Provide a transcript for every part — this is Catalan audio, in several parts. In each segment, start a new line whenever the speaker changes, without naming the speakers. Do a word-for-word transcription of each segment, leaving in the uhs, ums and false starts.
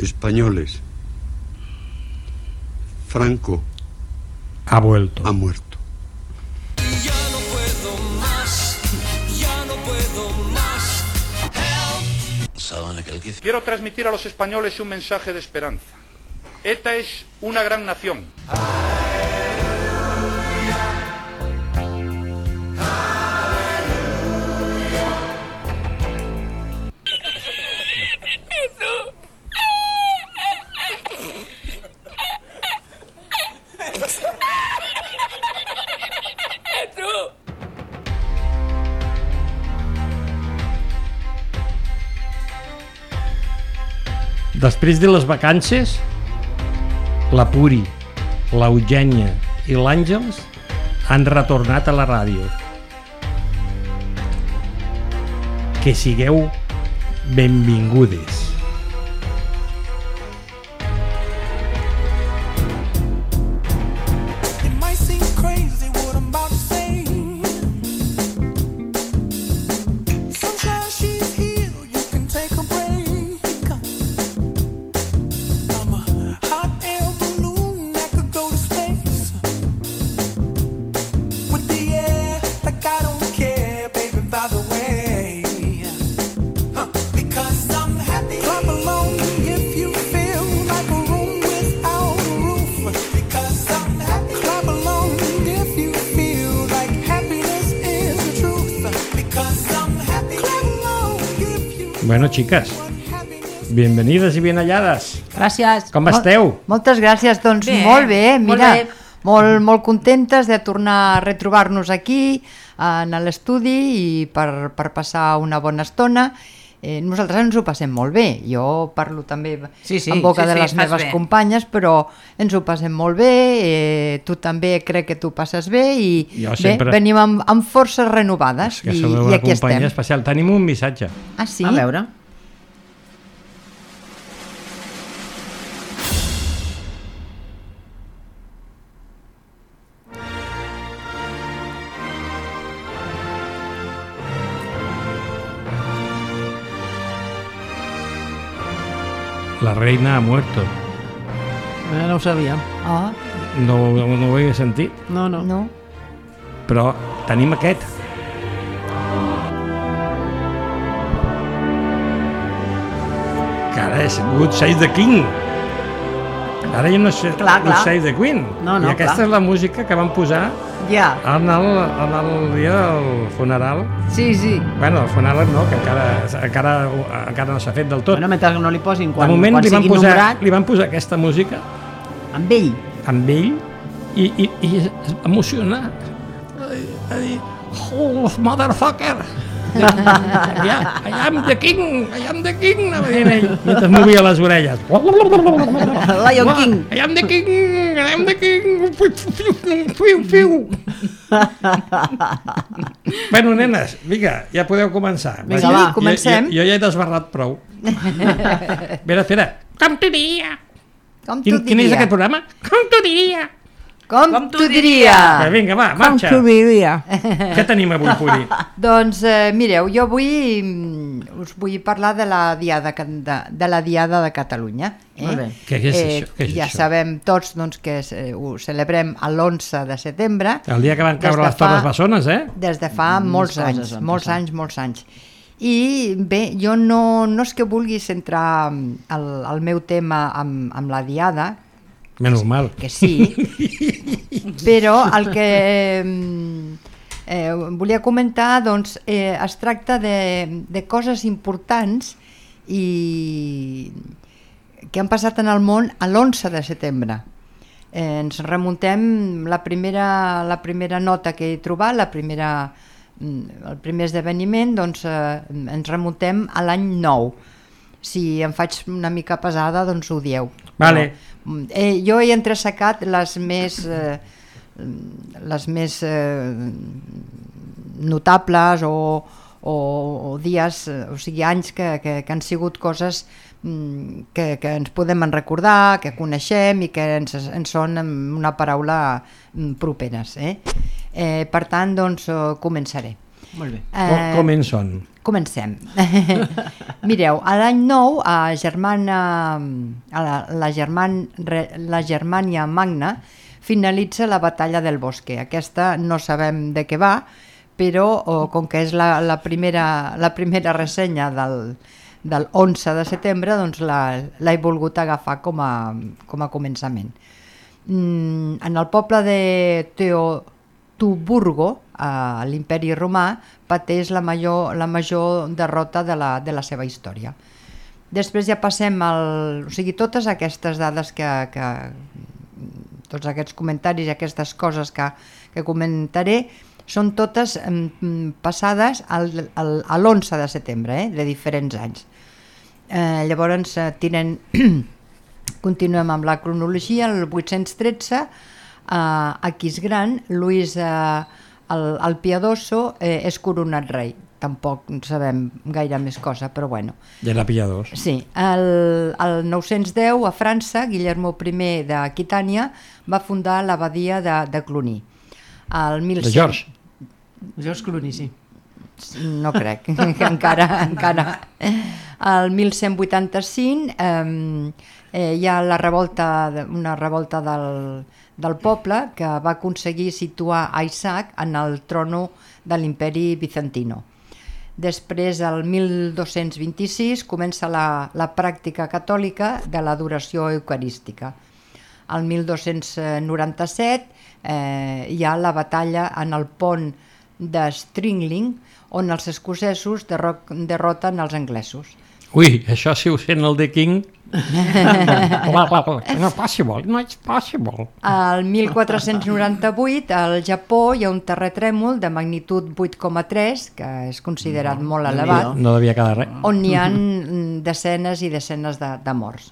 españoles. Franco
ha vuelto.
Ha muerto.
Ya no puedo más, ya no puedo más. Help.
Quiero transmitir a los españoles un mensaje de esperanza. ETA es una gran nación.
Després de les vacances, la Puri, l'Eugènia i l'Àngels han retornat a la ràdio. Que sigueu benvingudes. Bueno, chicas, bienvenidas y bien halladas.
Gràcies.
Com esteu?
Moltes gràcies, doncs
bé,
molt bé, mira,
molt, bé.
molt, molt contentes de tornar a retrobar-nos aquí en l'estudi i per, per passar una bona estona. Eh, nosaltres ens ho passem molt bé, jo parlo també
sí, sí,
en boca
sí,
de
sí,
les meves bé. companyes, però ens ho passem molt bé, eh, tu també crec que tu passes bé i sempre... bé, venim amb, amb forces renovades
que
i,
sou
i
una
aquí
companyia
estem.
especial. Tenim un missatge.
Ah, sí?
A veure.
La reina ha muerto.
Eh, no ho sabia.
Ah.
No, no, no ho he sentit.
No, no.
no.
Però tenim aquest. Que ara és Good Save the King. Ara ja no és
clar,
Good
clar.
Save the Queen.
No, no,
I aquesta
clar.
és la música que van posar
ja.
en, el, en el dia del funeral.
Sí, sí.
Bueno, el funeral no, que encara, encara, encara no s'ha fet del tot.
Bueno, mentre no li posin quan,
de moment
quan
li van,
sigui
posar,
nombrat.
li van posar aquesta música
Amb ell.
amb ell i, i, i es va emocionar. Va dir, oh, motherfucker! Yeah, I am the king, I am the king, anava dient ell, mentre movia les orelles.
Lion King.
I am the king, I am the king, fiu, fiu. Bueno, nenes, vinga, ja podeu començar.
Vinga,
sí,
va.
comencem.
Jo, jo, jo ja he desbarrat prou. Espera, espera. Com t'ho diria?
Com t'ho
Quin,
diria?
quin és aquest programa? Com t'ho diria?
Com,
Com
t'ho
t'ho
diria?
Eh, vinga, va, marxa.
Com t'ho diria?
Què tenim avui, Puri?
Doncs eh, mireu, jo avui mm, us vull parlar de la Diada de, de, la Diada de Catalunya. Eh?
Molt bé.
Què és això? Què és
ja
això?
sabem tots doncs, que eh, ho celebrem l'onze de setembre.
El dia que van
Des
caure
de
les Torres Bessones, eh?
Des de fa
Mm,
molts
coses
anys,
van
molts
passar.
anys, molts anys. I bé, jo no, no és que vulgui centrar el, el meu tema amb, amb la Diada,
Menys mal.
que sí, però el que eh, volia comentar doncs, eh, es tracta de, de coses importants i que han passat en el món a l'onze de setembre. Eh, ens remuntem la primera, la primera nota que he trobat, la primera, el primer esdeveniment, doncs eh, ens remuntem a l'any nou. Si em faig una mica pesada, doncs ho dieu.
Vale.
Però, eh, jo he entressecat les més, eh, les més eh, notables o, o, o dies, o sigui, anys que, que, que han sigut coses que, que ens podem recordar, que coneixem i que ens, ens són amb una paraula properes. Eh? Eh, per tant, doncs, començaré.
Molt bé.
Com,
Eh,
com en són?
Comencem. Mireu, a l'any nou, a Germana, a la, la, German, la Germania Magna finalitza la batalla del Bosque. Aquesta no sabem de què va, però o, com que és la, la, primera, la primera ressenya del, del onze de setembre, doncs l'he volgut agafar com a, com a començament. Mm, en el poble de Teutoburgo, a l'Imperi Romà, pateix la major, la major derrota de la, de la seva història. Després ja passem al... O sigui, totes aquestes dades que... que tots aquests comentaris i aquestes coses que, que comentaré són totes mm, passades al, al, a l'onze de setembre, eh, de diferents anys. Eh, llavors, eh, tenen... continuem amb la cronologia. El vuit-cents tretze, eh, a Aquisgrán, Lluís eh, el, el Piadoso eh, és coronat rei. Tampoc sabem gaire més cosa, però bueno.
Ja era pilladors.
Sí, el, el nou-cents deu a França, Guillermo I d'Aquitània va fundar l'abadia de, de Cluny. El mil cent...
De George.
George Clooney, sí.
No crec, que encara, encara. El mil cent vuitanta-cinc eh, eh, hi ha la revolta, una revolta del, del poble que va aconseguir situar a Isaac en el trono de l'imperi bizantino. Després, el mil dos-cents vint-i-sis, comença la, la pràctica catòlica de l'adoració eucarística. El mil dos-cents noranta-set eh, hi ha la batalla en el pont de Stringling, on els escocesos derroten els anglesos.
Ui, això si ho sent el The King... No és possible, no és possible.
Al mil quatre-cents noranta-vuit, al Japó, hi ha un terratrèmol de magnitud vuit coma tres, que és considerat no, molt elevat,
no devia quedar res,
on hi ha desenes i desenes de, de morts.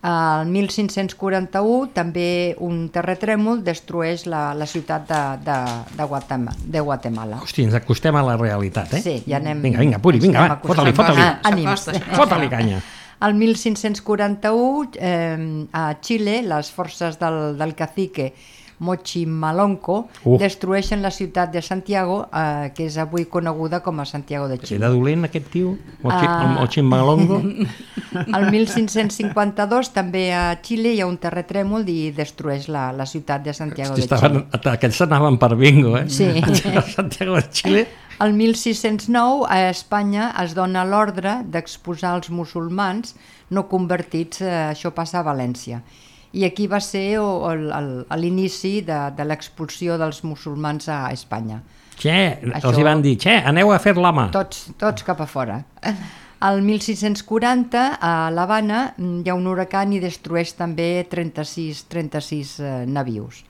Al mil cinc-cents quaranta-u, també un terratrèmol destrueix la, la ciutat de, de, de, Guatemala, de Guatemala.
Hosti, ens acostem a la realitat, eh?
Sí, ja anem...
Vinga, vinga, Puri, vinga, va, fota-li, fota-li.
Ah, ànims.
Fota-li canya.
Al mil cinc-cents quaranta-u, eh, a Xile, les forces del, del cacique Mochimalonco uh. destrueixen la ciutat de Santiago, eh, que és avui coneguda com a Santiago de Xile.
Era dolent aquest tio? El Mochimalongo?
Al mil cinc-cents cinquanta-dos, també a Xile, hi ha un terratrèmol i destrueix la, la ciutat de Santiago
Hosti,
de Xile.
Estaven, aquests anaven per bingo, eh?
Sí.
Santiago de Xile...
El mil sis-cents nou, a Espanya, es dona l'ordre d'exposar els musulmans no convertits, eh, això passa a València. I aquí va ser l'inici de, de l'expulsió dels musulmans a Espanya.
Xe,
això,
els hi van dir, xe, aneu a fer la mà.
Tots, tots cap a fora. El mil sis-cents quaranta, a l'Havana, hi ha un huracan i destrueix també trenta-sis, trenta-sis eh, navius.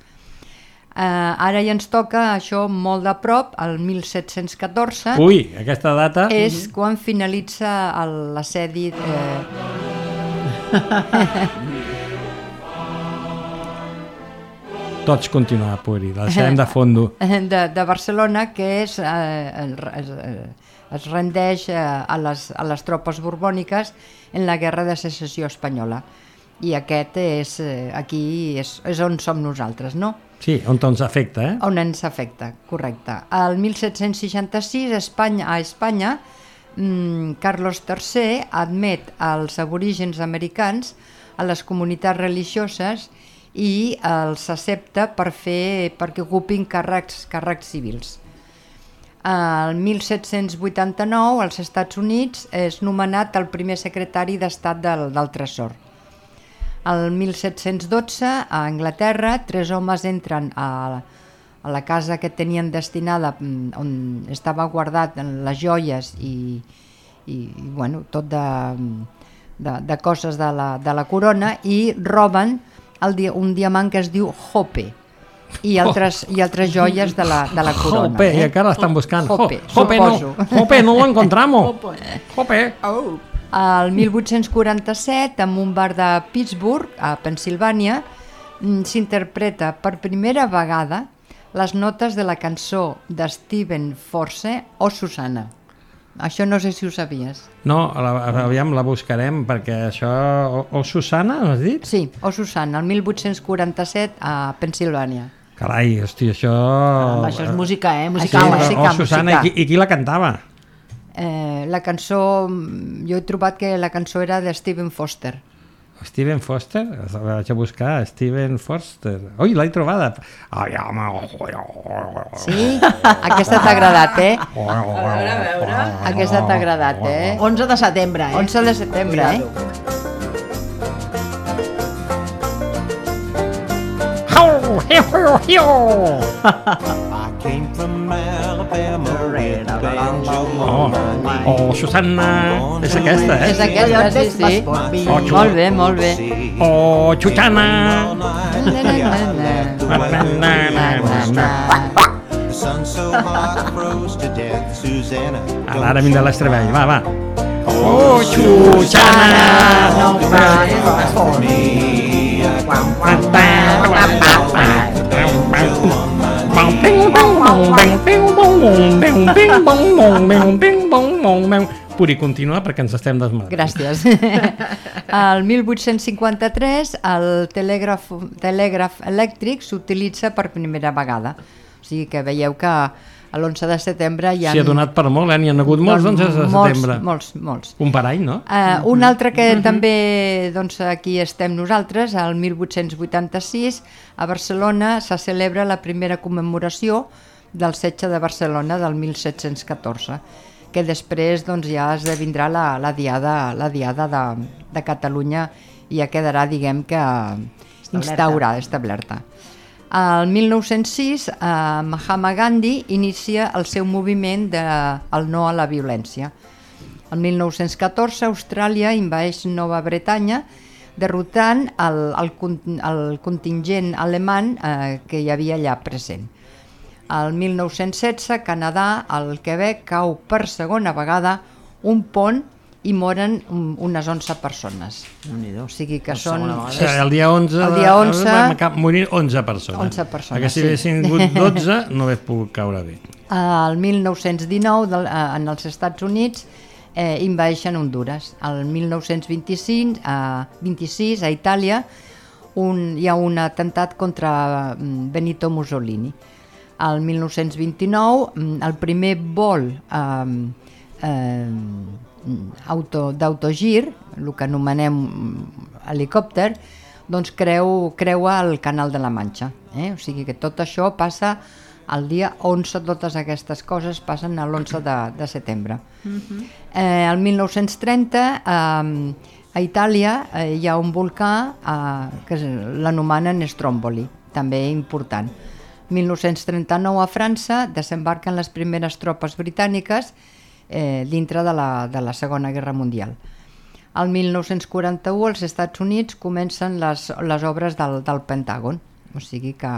Uh, ara ja ens toca això molt de prop, el mil set-cents catorze.
Ui, aquesta data...
És quan finalitza l'assedi... Eh...
Tots continuar, Puri, la deixarem de fondo.
De, de Barcelona, que és, eh, es, es rendeix eh, a, les, a les tropes borbòniques en la Guerra de Secessió Espanyola. I aquest és, eh, aquí és, és on som nosaltres, no?
Sí, on ens afecta, eh?
On ens afecta, correcte. El mil set-cents seixanta-sis, Espanya, a Espanya, mmm, Carlos tercer admet als aborígens americans a les comunitats religioses i els accepta per fer, perquè ocupin càrrecs, càrrecs civils. El mil set-cents vuitanta-nou, als Estats Units, és nomenat el primer secretari d'Estat del, del Tresor. El mil set-cents dotze, a Anglaterra, tres homes entren a, a la casa que tenien destinada, on estava guardat les joies i, i, i bueno, tot de, de, de coses de la, de la corona, i roben el, un diamant que es diu Hope i altres, oh. i altres joies de la, de la corona.
Hope,
eh?
i encara l'estan buscant.
Hope,
Hope,
suposo.
no, Hope, no lo encontramos. Hope.
Oh.
El mil vuit-cents quaranta-set, en un bar de Pittsburgh, a Pennsilvània, s'interpreta per primera vegada les notes de la cançó de Steven Force, O Susana. Això no sé si ho sabies.
No, la, aviam, la buscarem, perquè això... O, o Susana, has dit?
Sí, O Susana, el mil vuit-cents quaranta-set a Pennsilvània.
Carai, hòstia, això...
Caramba, això és música, eh?
Sí,
Musical,
però,
eh?
música,
oh, Susana,
música.
i qui, i qui la cantava?
Eh, la cançó, jo he trobat que la cançó era de Stephen Foster.
Steven Foster? La vaig a buscar, Steven Foster. Ui, l'he trobada. Ai, home.
Sí? Aquesta t'ha agradat, eh?
A veure, a veure.
Aquesta t'ha agradat, eh?
onze de setembre, eh?
onze de setembre, eh?
I came from Alabama with banjo
Oh, oh, Susana, és aquesta, eh?
És aquesta, sí, sí.
Oh, xu-
Molt bé, molt bé.
Oh, Xuxana.
The sun so hot froze to death, Susanna.
Ara, ara vindrà l'Estrevell, va, va. Oh, Xuxana.
No cry for me.
Puri, continua perquè ens estem desmadrant.
Gràcies. El mil vuit-cents cinquanta-tres el telègraf, telègraf elèctric s'utilitza per primera vegada. O sigui que veieu que a l'onze de setembre hi ha...
S'hi ha donat per molt, eh? N'hi ha hagut molts onzes de setembre.
Molts, molts, molts.
Un parany, no?
Uh, un altre que també doncs, aquí estem nosaltres, el mil vuit-cents vuitanta-sis, a Barcelona se celebra la primera commemoració del setge de Barcelona del mil set-cents catorze, que després doncs, ja esdevindrà la, la diada, la diada de, de Catalunya i ja quedarà, diguem que, instaurada, establerta. El mil nou-cents sis, eh, Mahatma Gandhi inicia el seu moviment de el no a la violència. El mil nou-cents catorze, Austràlia invadeix Nova Bretanya, derrotant el, el, con- el contingent alemany eh, que hi havia allà present. El mil nou-cents setze, Canadà, al Quebec, cau per segona vegada un pont i moren um, unes onze persones. O sigui que són...
O sigui, el dia onze,
El dia onze
van ca- morir onze persones.
onze persones,
Perquè si
sí.
haguessin hagut dotze no hauria pogut caure bé.
El mil nou-cents dinou, del, eh, en els Estats Units, eh, invadeixen Hondures. El mil nou-cents vint-i-cinc, eh, vint-i-sis, a Itàlia, un, hi ha un atemptat contra mm, Benito Mussolini. El mil nou-cents vint-i-nou, mm, el primer vol eh, eh, auto, d'autogir, el que anomenem mm, helicòpter, doncs creu, creua el Canal de la Manxa. Eh? O sigui que tot això passa el dia onze, totes aquestes coses passen a l'onze de, de setembre. Uh-huh. eh, el mil nou-cents trenta, eh, a Itàlia eh, hi ha un volcà eh, que l'anomenen Stromboli, també important. mil nou-cents trenta-nou, a França desembarquen les primeres tropes britàniques eh, dintre de la, de la Segona Guerra Mundial. El mil nou-cents quaranta-u, als Estats Units, comencen les, les obres del, del Pentàgon, o sigui que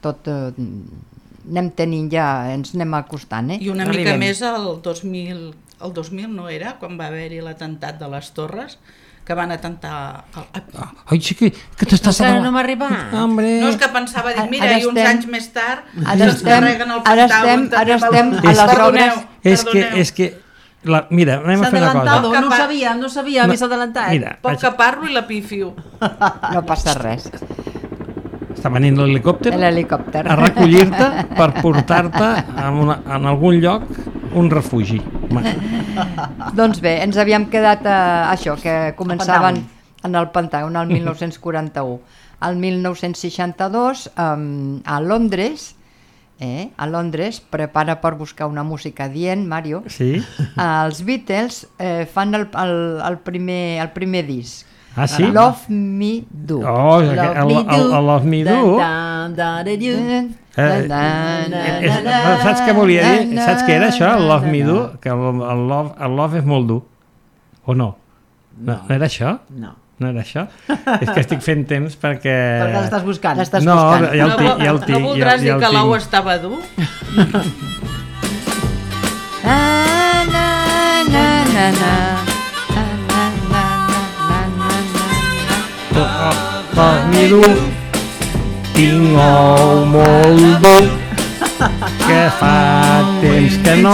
tot eh, anem tenint ja, ens anem acostant, eh?
I una mica
Arribem.
més el dos mil, el dos mil no era, quan va haver-hi l'atemptat de les Torres, que van atentar... El...
Ai, sí que, que t'estàs...
Encara no m'ha arribat.
Hombre.
No, és que pensava, dic, mira,
Ara
i uns
estem-
anys més tard
ara
se'ns
estem-
carreguen el
ara
Pentàgon.
estem- ara
també
estem
pel-
a les
Perdoneu,
obres.
És que,
perdoneu.
és que la, mira, anem a
S'ha
fer una cosa.
adelantado, no
Capa-
sabia, no sabia,
No,
m'he adelantat.
mira.
Poc que parlo i la pifio.
No passa res.
Està venint l'helicòpter
L'helicòpter.
a recollir-te per portar-te a una, en algun lloc un refugi. Ma-
Doncs bé, ens havíem quedat a això, que començaven en el Pentàgon el mil nou-cents quaranta-u. El mil nou-cents seixanta-dos, um, a Londres, eh, a Londres, prepara per buscar una música dient, Mario,
Sí?
els Beatles eh, fan el, el, el, primer, el primer disc.
Ah, sí?
Love Me Do.
Oh, el, el, el, el Love Me Do.
Dan, dan, dan, you.
Eh,
Dan, dan,
eh,
dan,
és-
dan,
saps què volia dir?
dan,
Saps què era això, el Love Me Do?
dan.
Que el, el, love, el love és molt dur. O no? No, no era això?
No.
No era això? És que estic fent temps perquè...
Perquè l'estàs buscant.
L'estàs
No,
buscant.
ja el
no,
tinc, ja el
no
tinc.
voldràs
ja,
dir
ja el
que l'ou
tinc.
estava dur?
Na, na, na, na, na. Na, na, na, na, na, na, na.
Love Me Do. Tinc ou molt dur, que fa temps que no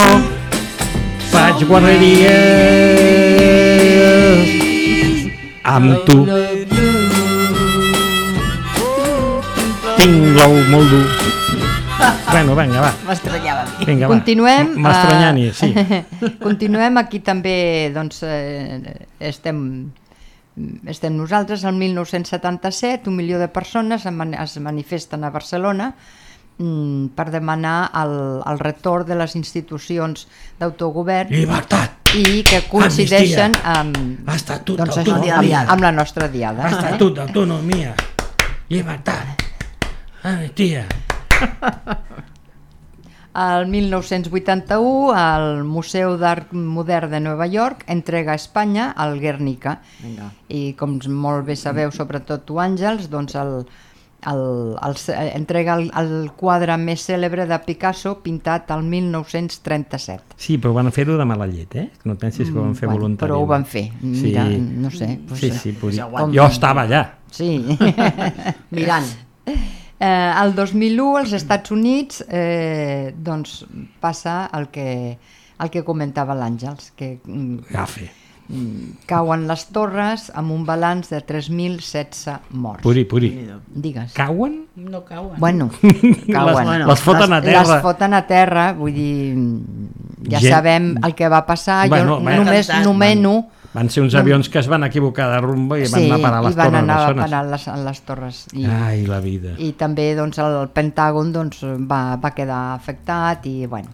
faig guarreries amb tu. tinc l'ou molt dur. Bueno, vinga, va.
M'estranyava a mi.
Vinga, va.
Continuem.
M'estranyant-hi, sí.
Continuem, aquí també doncs, eh, estem, estem nosaltres, el mil nou-cents setanta-set, un milió de persones es manifesten a Barcelona mm, per demanar el, el retorn de les institucions d'autogovern
Llibertat!
i que coincideixen amb,
Estatut
doncs, això,
d'autonomia.
amb, amb la nostra diada.
Estatut d'autonomia. Llibertat. Amnistia.
El mil nou-cents vuitanta-u, el Museu d'Art Modern de Nova York entrega a Espanya el Guernica.
Vinga.
I com molt bé sabeu, sobretot tu, Àngels, doncs el, el, el, entrega el, el quadre més cèlebre de Picasso pintat el mil nou-cents trenta-set.
Sí, però van fer-ho de mala llet, eh? No et pensis que ho van fer
Bueno,
voluntàriament.
però ho van fer. Mira,
Sí.
no sé. Pues,
Sí, sí, puri.
Com-
Jo estava allà.
Sí.
Mirant.
Eh, el dos mil u als Estats Units eh, doncs passa el que, el que comentava l'Àngels, que mm,
Gafe.
mm, cauen les torres amb un balanç de tres mil setze morts.
Puri, puri.
Digues.
Cauen?
No cauen.
Bueno, cauen.
Les, les foten a terra.
Les foten a terra, vull dir, ja
Gent-
sabem el que va passar,
Bueno,
jo
bueno.
només
Van-
nomeno...
Van ser uns avions que es van equivocar de rumbo i van anar a parar a les
i van
torres
anar a
bessones.
parar a les, a les torres. I,
Ai, la vida.
i també doncs, el Pentàgon doncs, va, va quedar afectat i bueno.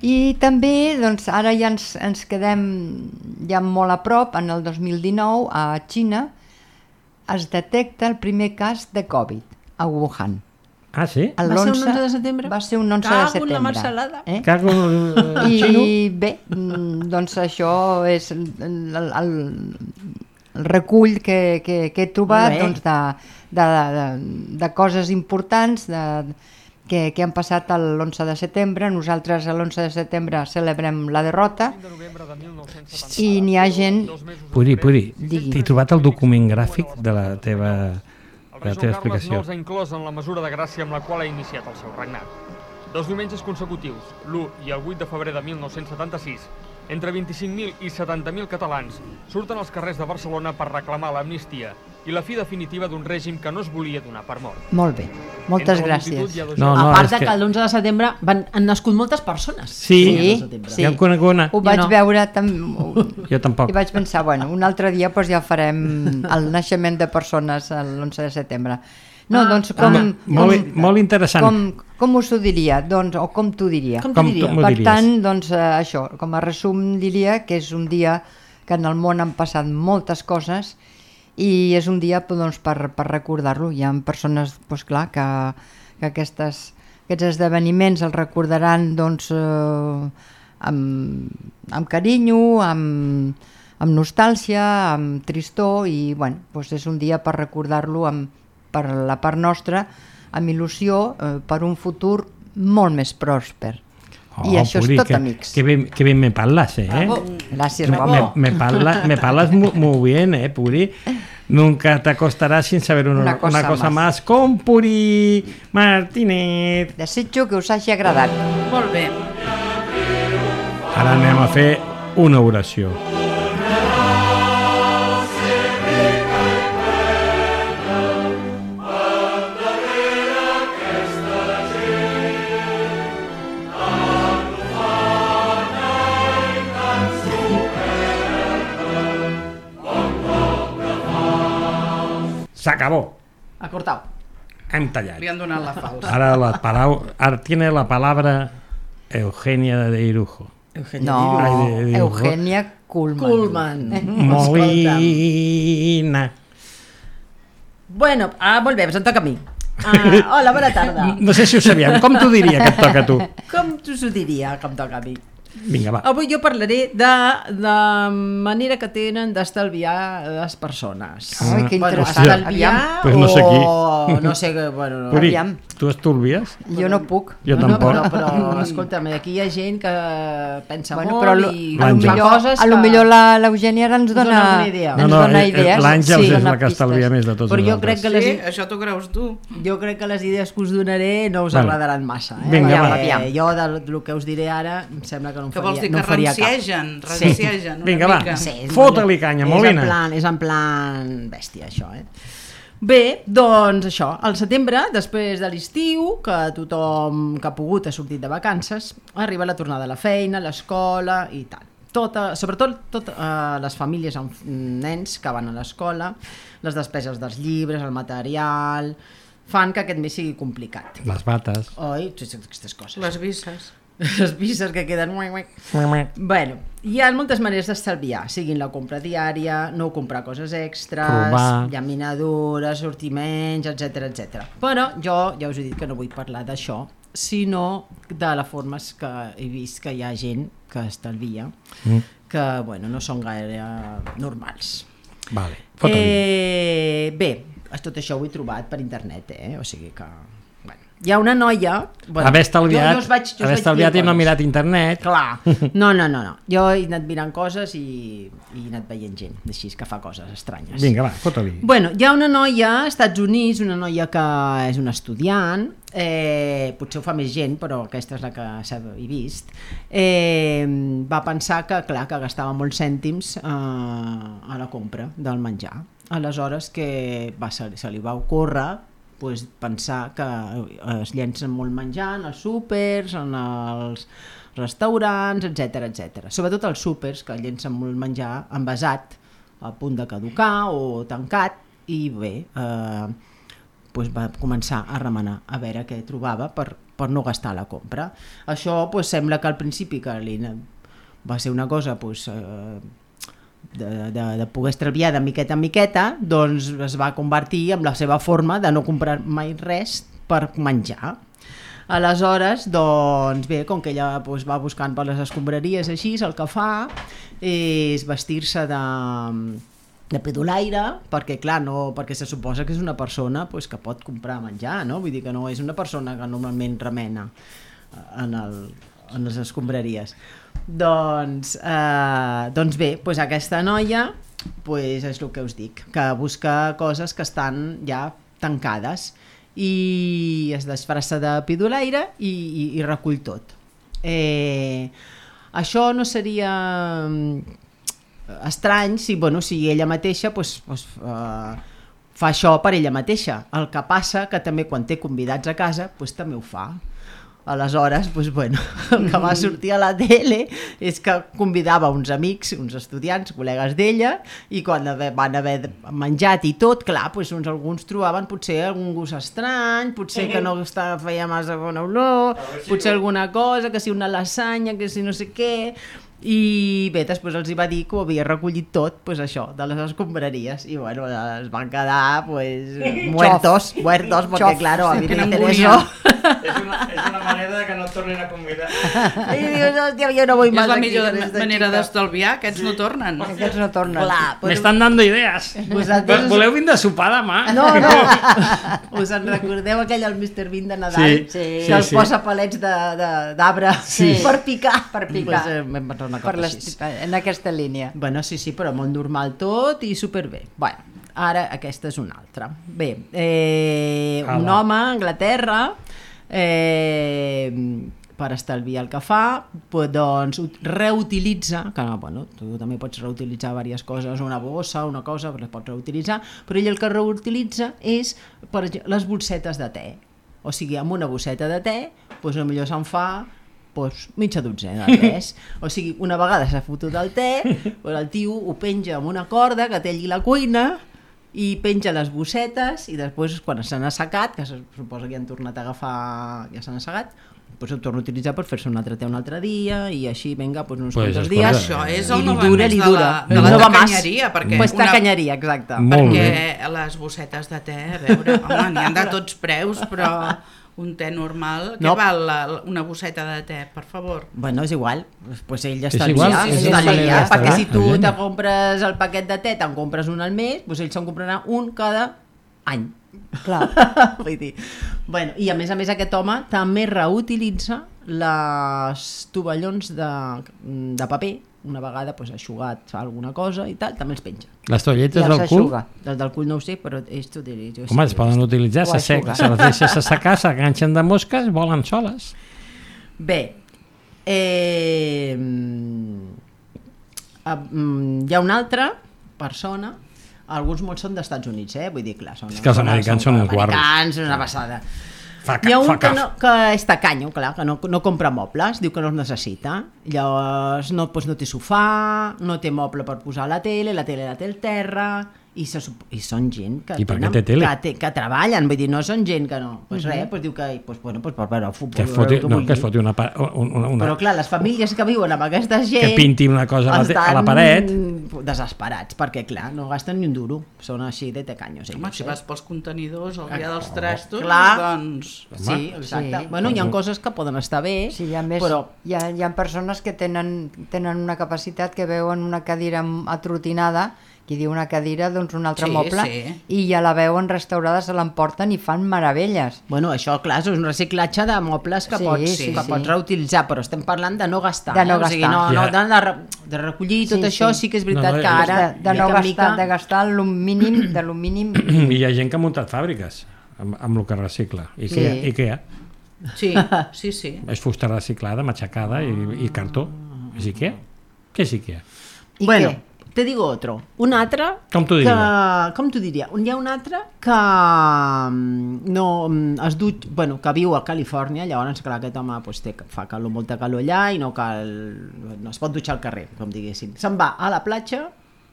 I també doncs, ara ja ens, ens quedem ja molt a prop, en el dos mil dinou a Xina es detecta el primer cas de Covid a Wuhan.
Ah, sí?
El
Va ser un
l'onze
onze de setembre?
Va ser un onze
Cago
de
en la
setembre.
marcelada.
Eh?
Cago en el xino?
I bé, mm, doncs això és el, el, el, el recull que, que, que he trobat
Molt bé.
doncs, de, de, de, de coses importants de, que, que han passat l'onze de setembre. Nosaltres l'onze de setembre celebrem la derrota i n'hi ha gent...
Puri, Puri,
Digui.
t'he trobat el document gràfic de la teva,
El
de la
rei
teva
Joan Carles no
explicació.
els ha inclòs en la mesura de gràcia amb la qual ha iniciat el seu regnat. Dos diumenges consecutius, l'u i el vuit de febrer de mil nou-cents setanta-sis, entre vint-i-cinc mil i setanta mil catalans surten als carrers de Barcelona per reclamar l'amnistia i la fi definitiva d'un règim que no es volia donar per mort.
Molt bé, moltes
Entre la multitud
gràcies.
hi ha dos
No,
A
no,
part
és
de
que-
que l'onze de setembre van, han nascut moltes persones.
Sí,
Sí,
setembre.
sí.
ja em conec una.
Ho vaig
no.
veure tam...
Jo tampoc.
i vaig pensar, bueno, un altre dia doncs, ja farem el naixement de persones l'onze de setembre. No,
Ah,
doncs com...
Ah, molt,
com,
molt interessant.
com, com us ho diria? Doncs, o com t'ho diria?
Com
Com
t'ho diria?
tu m'ho
Per
diries?
tant, doncs, eh, això, com a resum diria que és un dia que en el món han passat moltes coses i és un dia doncs, per, per recordar-lo. Hi ha persones, doncs, clar, que, que aquestes, aquests esdeveniments els recordaran doncs, eh, amb, amb carinyo, amb, amb nostàlgia, amb tristor i bueno, doncs és un dia per recordar-lo amb, per la part nostra, amb il·lusió eh, per un futur molt més pròsper. I això
Puri,
és tot,
que,
amics.
Que ben, que ben me parlas, eh?
Gràcies,
Me,
guapo.
me, me, parla, me parlas muy, muy bien, eh, Puri. Nunca te acostarás sin saber una,
Una cosa
una cosa
más.
más con Puri Martínez.
Desitjo que us hagi agradat.
Molt bé.
Ara anem a fer una oració. S'acabó.
Ha cortat.
Hem tallat.
Li han donat la falsa.
Ara la palau, ara tiene la palabra Eugenia de Irujo.
No,
Ai, de- de-
Eugenia Kuhlman.
Kuhlman.
Molina.
Bueno, ah, molt bé, doncs em toca a mi. Ah, hola, bona tarda.
No sé si ho sabíem. Com t'ho diria que et toca a tu?
Com us ho diria que em toca a mi?
Vinga, va.
Avui jo parlaré de la manera que tenen d'estalviar les persones.
Ai, que
Bueno,
interessant.
estalviar
Aviam.
Pues no sé qui.
o no sé què, bueno, no.
Puri,
aviam.
tu estolvies?
Jo no puc.
Jo
no,
tampoc.
No, però, però escolta'm, aquí hi ha gent que pensa
Bueno,
molt
però lo,
i
a lo
L'Àngels.
fa
millor,
coses
a lo
que...
millor la- l'Eugènia ara ens
Us dona
dona,
alguna idea.
ens
No, no,
dona
eh,
idees.
l'Àngels és
dona
la que
pistes.
estalvia més de tots
Però jo
nosaltres.
crec que les,
Sí, això t'ho creus tu.
jo crec que les idees que us donaré no us
Vale.
agradaran massa. Eh?
Vinga,
Perquè
va.
Aviam.
Jo del, del que us diré ara em sembla que no em
Que
faria,
vols dir
no
que
em faria cap.
ranciegen, ranciegen una
Vinga, va.
mica.
Sí,
Fota-li canya,
és
Molina.
En plan, és en plan bèstia, això, eh? Bé, doncs això, al setembre, després de l'estiu, que tothom que ha pogut ha sortit de vacances, arriba la tornada a la feina, a l'escola i tal. Tota, sobretot tot, eh, les famílies amb nens que van a l'escola, les despeses dels llibres, el material, fan que aquest mes sigui complicat.
Les bates.
Oi? Aquestes coses.
Les visses.
Les visses que queden... Bueno, hi ha moltes maneres d'estalviar, siguin la compra diària, no comprar coses extres,
Provar.
llaminadures, sortiments, etcètera, etcètera. Però jo ja us he dit que no vull parlar d'això, sinó de les formes que he vist que hi ha gent que estalvia, mm. que bueno, no són gaire normals.
Vale, fota-li.
Eh, bé, tot això ho he trobat per internet, eh? O sigui que... Bueno, hi ha una noia... Bueno,
haver estalviat,
jo, jo vaig, jo
haver estalviat i no
coses.
mirat internet.
Clar, no, no, no, no. Jo he anat mirant coses i, i he anat veient gent, així que fa coses estranyes.
Vinga, va, fota-li.
Bueno, hi ha una noia als Estats Units, una noia que és una estudiant, eh, potser ho fa més gent, però aquesta és la que s'ha vist, eh, va pensar que, clar, que gastava molts cèntims eh, a la compra del menjar. Aleshores que va, se, se li va ocórrer pues, pensar que es llencen molt menjar en els súpers, en els restaurants, etcètera, etcètera. Sobretot els súpers, que llencen molt menjar envasat, a punt de caducar o tancat, i bé, eh, pues va començar a remenar a veure què trobava per, per no gastar la compra. Això pues, sembla que al principi que li va ser una cosa... Pues, eh, De, de, de poder estalviar de miqueta en miqueta, doncs es va convertir en la seva forma de no comprar mai res per menjar. Aleshores, doncs bé, com que ella doncs, va buscant per les escombraries així, el que fa és vestir-se de, de pedolaire, perquè clar, no, perquè se suposa que és una persona doncs, que pot comprar menjar, no? Vull dir que no és una persona que normalment remena en, el, en les escombraries. Doncs, eh, doncs bé, doncs aquesta noia doncs és el que us dic, que busca coses que estan ja tancades i es disfressa de pidolaire i, i, i recull tot. Eh, això no seria estrany si, bueno, si ella mateixa doncs, doncs, eh, fa això per ella mateixa. El que passa que també quan té convidats a casa doncs, també ho fa. Aleshores, doncs, bueno, el que va sortir a la tele és que convidava uns amics, uns estudiants, col·legues d'ella, i quan van haver menjat i tot, clar, doncs, uns, alguns trobaven potser algun gust estrany, potser que no estava, feia massa bona olor, potser alguna cosa, que si una lasanya, que si no sé què... I bé, després els hi va dir que ho havia recollit tot, pues això, de les escombraries, i bueno, es van quedar pues muertos, muertos, perquè claro, a mi m'interessa.
És una, és una manera que no et tornin a convidar.
I dius, hòstia, jo no vull més
és la
aquí.
millor manera d'estalviar, aquests no tornen.
Aquests no tornen.
Clar,
Me estan dando idees.
Vosaltres...
Voleu vindre a sopar demà?
No, no. Us en recordeu aquell el mister Bean de Nadal?
Sí,
sí,
que els
sí.
posa palets d'arbre
Sí.
per picar.
Per picar.
Pues, eh, una cosa
Per les,
així.
en aquesta línia.
Bueno, sí, sí, però molt normal tot i superbé. Bueno, ara aquesta és una altra. Bé, eh, un
Ala.
home a Anglaterra, eh, per estalviar el que fa, pues, doncs reutilitza, que bueno, tu també pots reutilitzar diverses coses, una bossa, una cosa, les pots reutilitzar, però ell el que reutilitza és, per exemple, les bolsetes de te. O sigui, amb una bosseta de te, doncs potser se'n fa pues, mitja dotzena de tes. O sigui, una vegada s'ha fotut el te, pues, el tio ho penja amb una corda que té allí la cuina i penja les bossetes i després quan se n'ha assecat, que se suposa que ja han tornat a agafar, ja s'han assecat, pues ho torna a utilitzar per fer-se un altre te un altre dia i així, vinga, pues, uns
Pues
quants
és
dies.
correcte.
Això és
I
el
li
no va
dura,
més
li
de
dura.
la, de la
No va más.
tacanyeria, perquè,
Pues
una,
tacanyeria, exacte.
Molt
perquè
bé.
les bossetes de te, a veure, home, n'hi ha de tots preus, però un te normal, què
No.
val la, una bosseta de te, per favor?
Bueno, és igual, pues ell ja
És
està
igual,
liat,
és
ell
una
està
manera
liat,
d'estalviar,
perquè si tu
evident.
te compres el paquet de te, te'n compres un al mes, doncs ell se'n comprarà un cada any.
Clar.
Vull dir, bueno, i a més a més aquest home també reutilitza les tovallons de, de paper, una vegada pues, ha eixugat fa alguna cosa i tal, també els penja.
Les toalletes
Ja
del cul?
s'eixuga.
Del del cul no ho sé, però ells t'ho diré. Jo
Home,
sí
es
que ho he
poden
vist.
utilitzar,
Ho
se, sec,
eixuga.
se les deixes assecar, s'enganxen de mosques, volen soles.
Bé, eh, mm, hi ha una altra persona alguns molts són d'Estats Units, eh? Vull dir, clar, són...
És que els americans són uns guarros.
Els americans, una passada.
Fa
Hi ha un
fa
que,
caf.
no, que és tacanyo, clar, que no, no compra mobles, diu que no els necessita. Llavors no, doncs no té sofà, no té moble per posar la tele, la tele la té al terra, i, se, i són gent que,
I per què
tenen,
té tele?
que, té, que treballen, vull dir, no són gent que no. Doncs pues res, pues diu que pues, bueno, pues per veure el futbol.
Que es foti,
el que
no,
vulgui.
que es foti una, pa- una, una...
Però clar, les famílies que viuen amb aquesta gent...
Que pinti una cosa a la, te- a la paret.
estan desesperats, perquè clar, no gasten ni un duro. Són així de tecanyos.
Home,
ells,
si
eh?
vas pels contenidors el dia dels trastos,
Clar.
doncs...
Sí, exacte.
Sí.
Bueno, hi ha coses que poden estar bé,
Sí, a més,
però...
hi, ha, hi ha persones que tenen, tenen una capacitat que veuen una cadira atrotinada, qui diu una cadira, doncs un altre
Sí,
moble,
sí.
i ja la veuen restaurada, se l'emporten i fan meravelles.
Bueno, això, clar, és un reciclatge de mobles que,
Sí,
pots,
sí,
que
sí.
pots reutilitzar, però estem parlant de no gastar.
De no
eh? O sigui, no,
gastar.
no,
Ja.
de, de, re- de recollir tot
Sí,
això,
sí.
sí que és
No,
veritat
no,
que
és
ara...
de, de, no
mica en
gastar,
mica-
de gastar el mínim, de lo mínim.
I hi ha gent que ha muntat fàbriques amb, amb el que recicla. I què,
Sí.
i què hi ha?
Sí, sí, sí.
És fusta reciclada, matxacada i, i cartó. És Ikea? Què és Ikea?
I
bueno,
què?
te digo otro. Un altre...
Com t'ho
que,
diria?
com t'ho diria? Hi ha un altre que mm, no mm, es du... Bueno, que viu a Califòrnia, llavors, clar, aquest home pues, té, fa calor, molta calor allà i no cal... no es pot dutxar al carrer, com diguéssim. Se'n va a la platja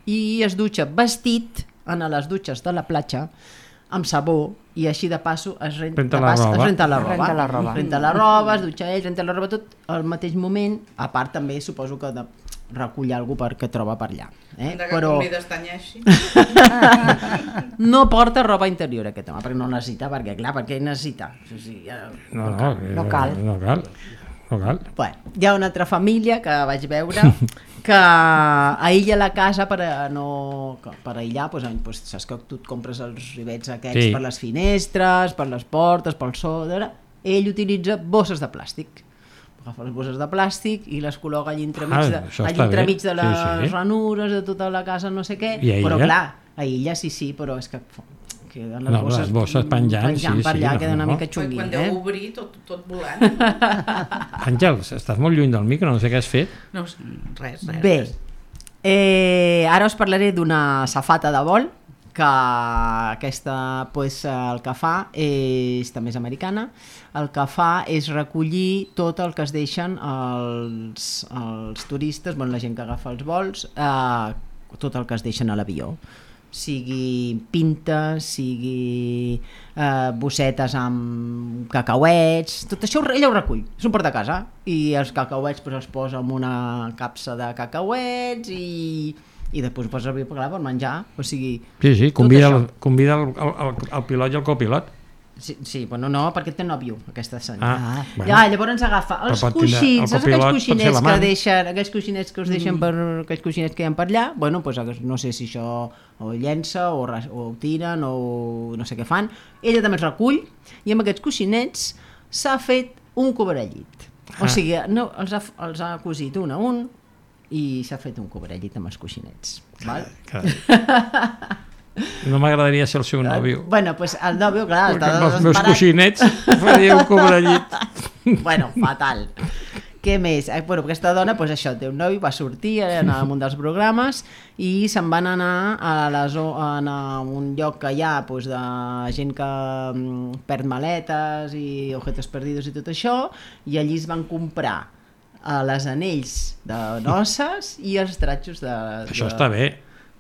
i es dutxa vestit en les dutxes de la platja amb sabó i així de passo es renta,
Renta
de
la
pas,
roba.
es renta la roba.
Renta la roba.
Renta la roba, es dutxa ell, renta la roba tot al mateix moment, a part també suposo que de, recull algú perquè troba per allà. Eh?
De que
Però
convides Tanyeixi.
no porta roba interior aquest home, perquè no necessita, perquè clar, perquè necessita. O sigui, ja...
No, no, eh,
No cal.
No cal. No cal.
Bueno, hi ha una altra família que vaig veure que aïlla la casa per a no... per aïllar, doncs, doncs, saps que tu et compres els rivets aquests
Sí.
per les finestres, per les portes, pel so, ell utilitza bosses de plàstic. Agafa les bosses de plàstic i les col·loca allà entremig,
Ah,
de,
això
allà
està bé.
entremig de les
Sí, sí.
ranures de tota la casa, no sé què,
I aïlla?
però clar, aïlla sí, sí, però és que queden les
No,
bosses,
les bosses penjant,
penjant
sí,
per
sí,
allà,
no,
queda una
no.
mica
Quan,
xunguin,
quan
eh?
deu obrir, tot, tot volant.
Àngels, estàs molt lluny del micro, no sé què has fet.
No, res, res.
Bé,
res.
eh, ara us parlaré d'una safata de vol, que aquesta pues, el que fa és, també és americana, el que fa és recollir tot el que es deixen els, els turistes, bueno, la gent que agafa els vols, eh, tot el que es deixen a l'avió, sigui pintes, sigui eh, bossetes amb cacauets, tot això ella ho recull, és un portacasa, i els cacauets pues, els posa en una capsa de cacauets i, i després posa el clar per menjar, o sigui...
Sí, sí,
tot
convida,
això.
el, convida el, el, el pilot i el copilot.
Sí, sí, bueno, no, perquè té nòvio, aquesta senyora.
Ah, bueno.
Ja, llavors agafa els
Però pot tindre-
coixins,
el
saps
copilot
aquells
pot ser
coixinets que
l'amant.
deixen, aquells coixinets que us deixen per, aquells coixinets que hi ha per allà, bueno, doncs no sé si això o llença o, ras- o ho tiren o no sé què fan, ella també els recull i amb aquests coixinets s'ha fet un cobrellit. O
Ah.
sigui, no, els, ha, els ha cosit un a un i s'ha fet un cobrellit amb els coixinets. Val?
Carai. No m'agradaria ser el seu nòvio.
Bueno, doncs el nòvio, clar,
Perquè
està
amb els meus
desesperat.
coixinets faria un cobrellit.
Bueno, fatal. Què més? Eh, bueno, aquesta dona, doncs això, té un noi, va sortir en un dels programes i se'n van anar a, la zo- a un lloc que hi ha doncs, de gent que mm, perd maletes i objetos perdidos i tot això, i allí es van comprar eh, les anells de noces i els tratxos de...
Això
de,
està bé.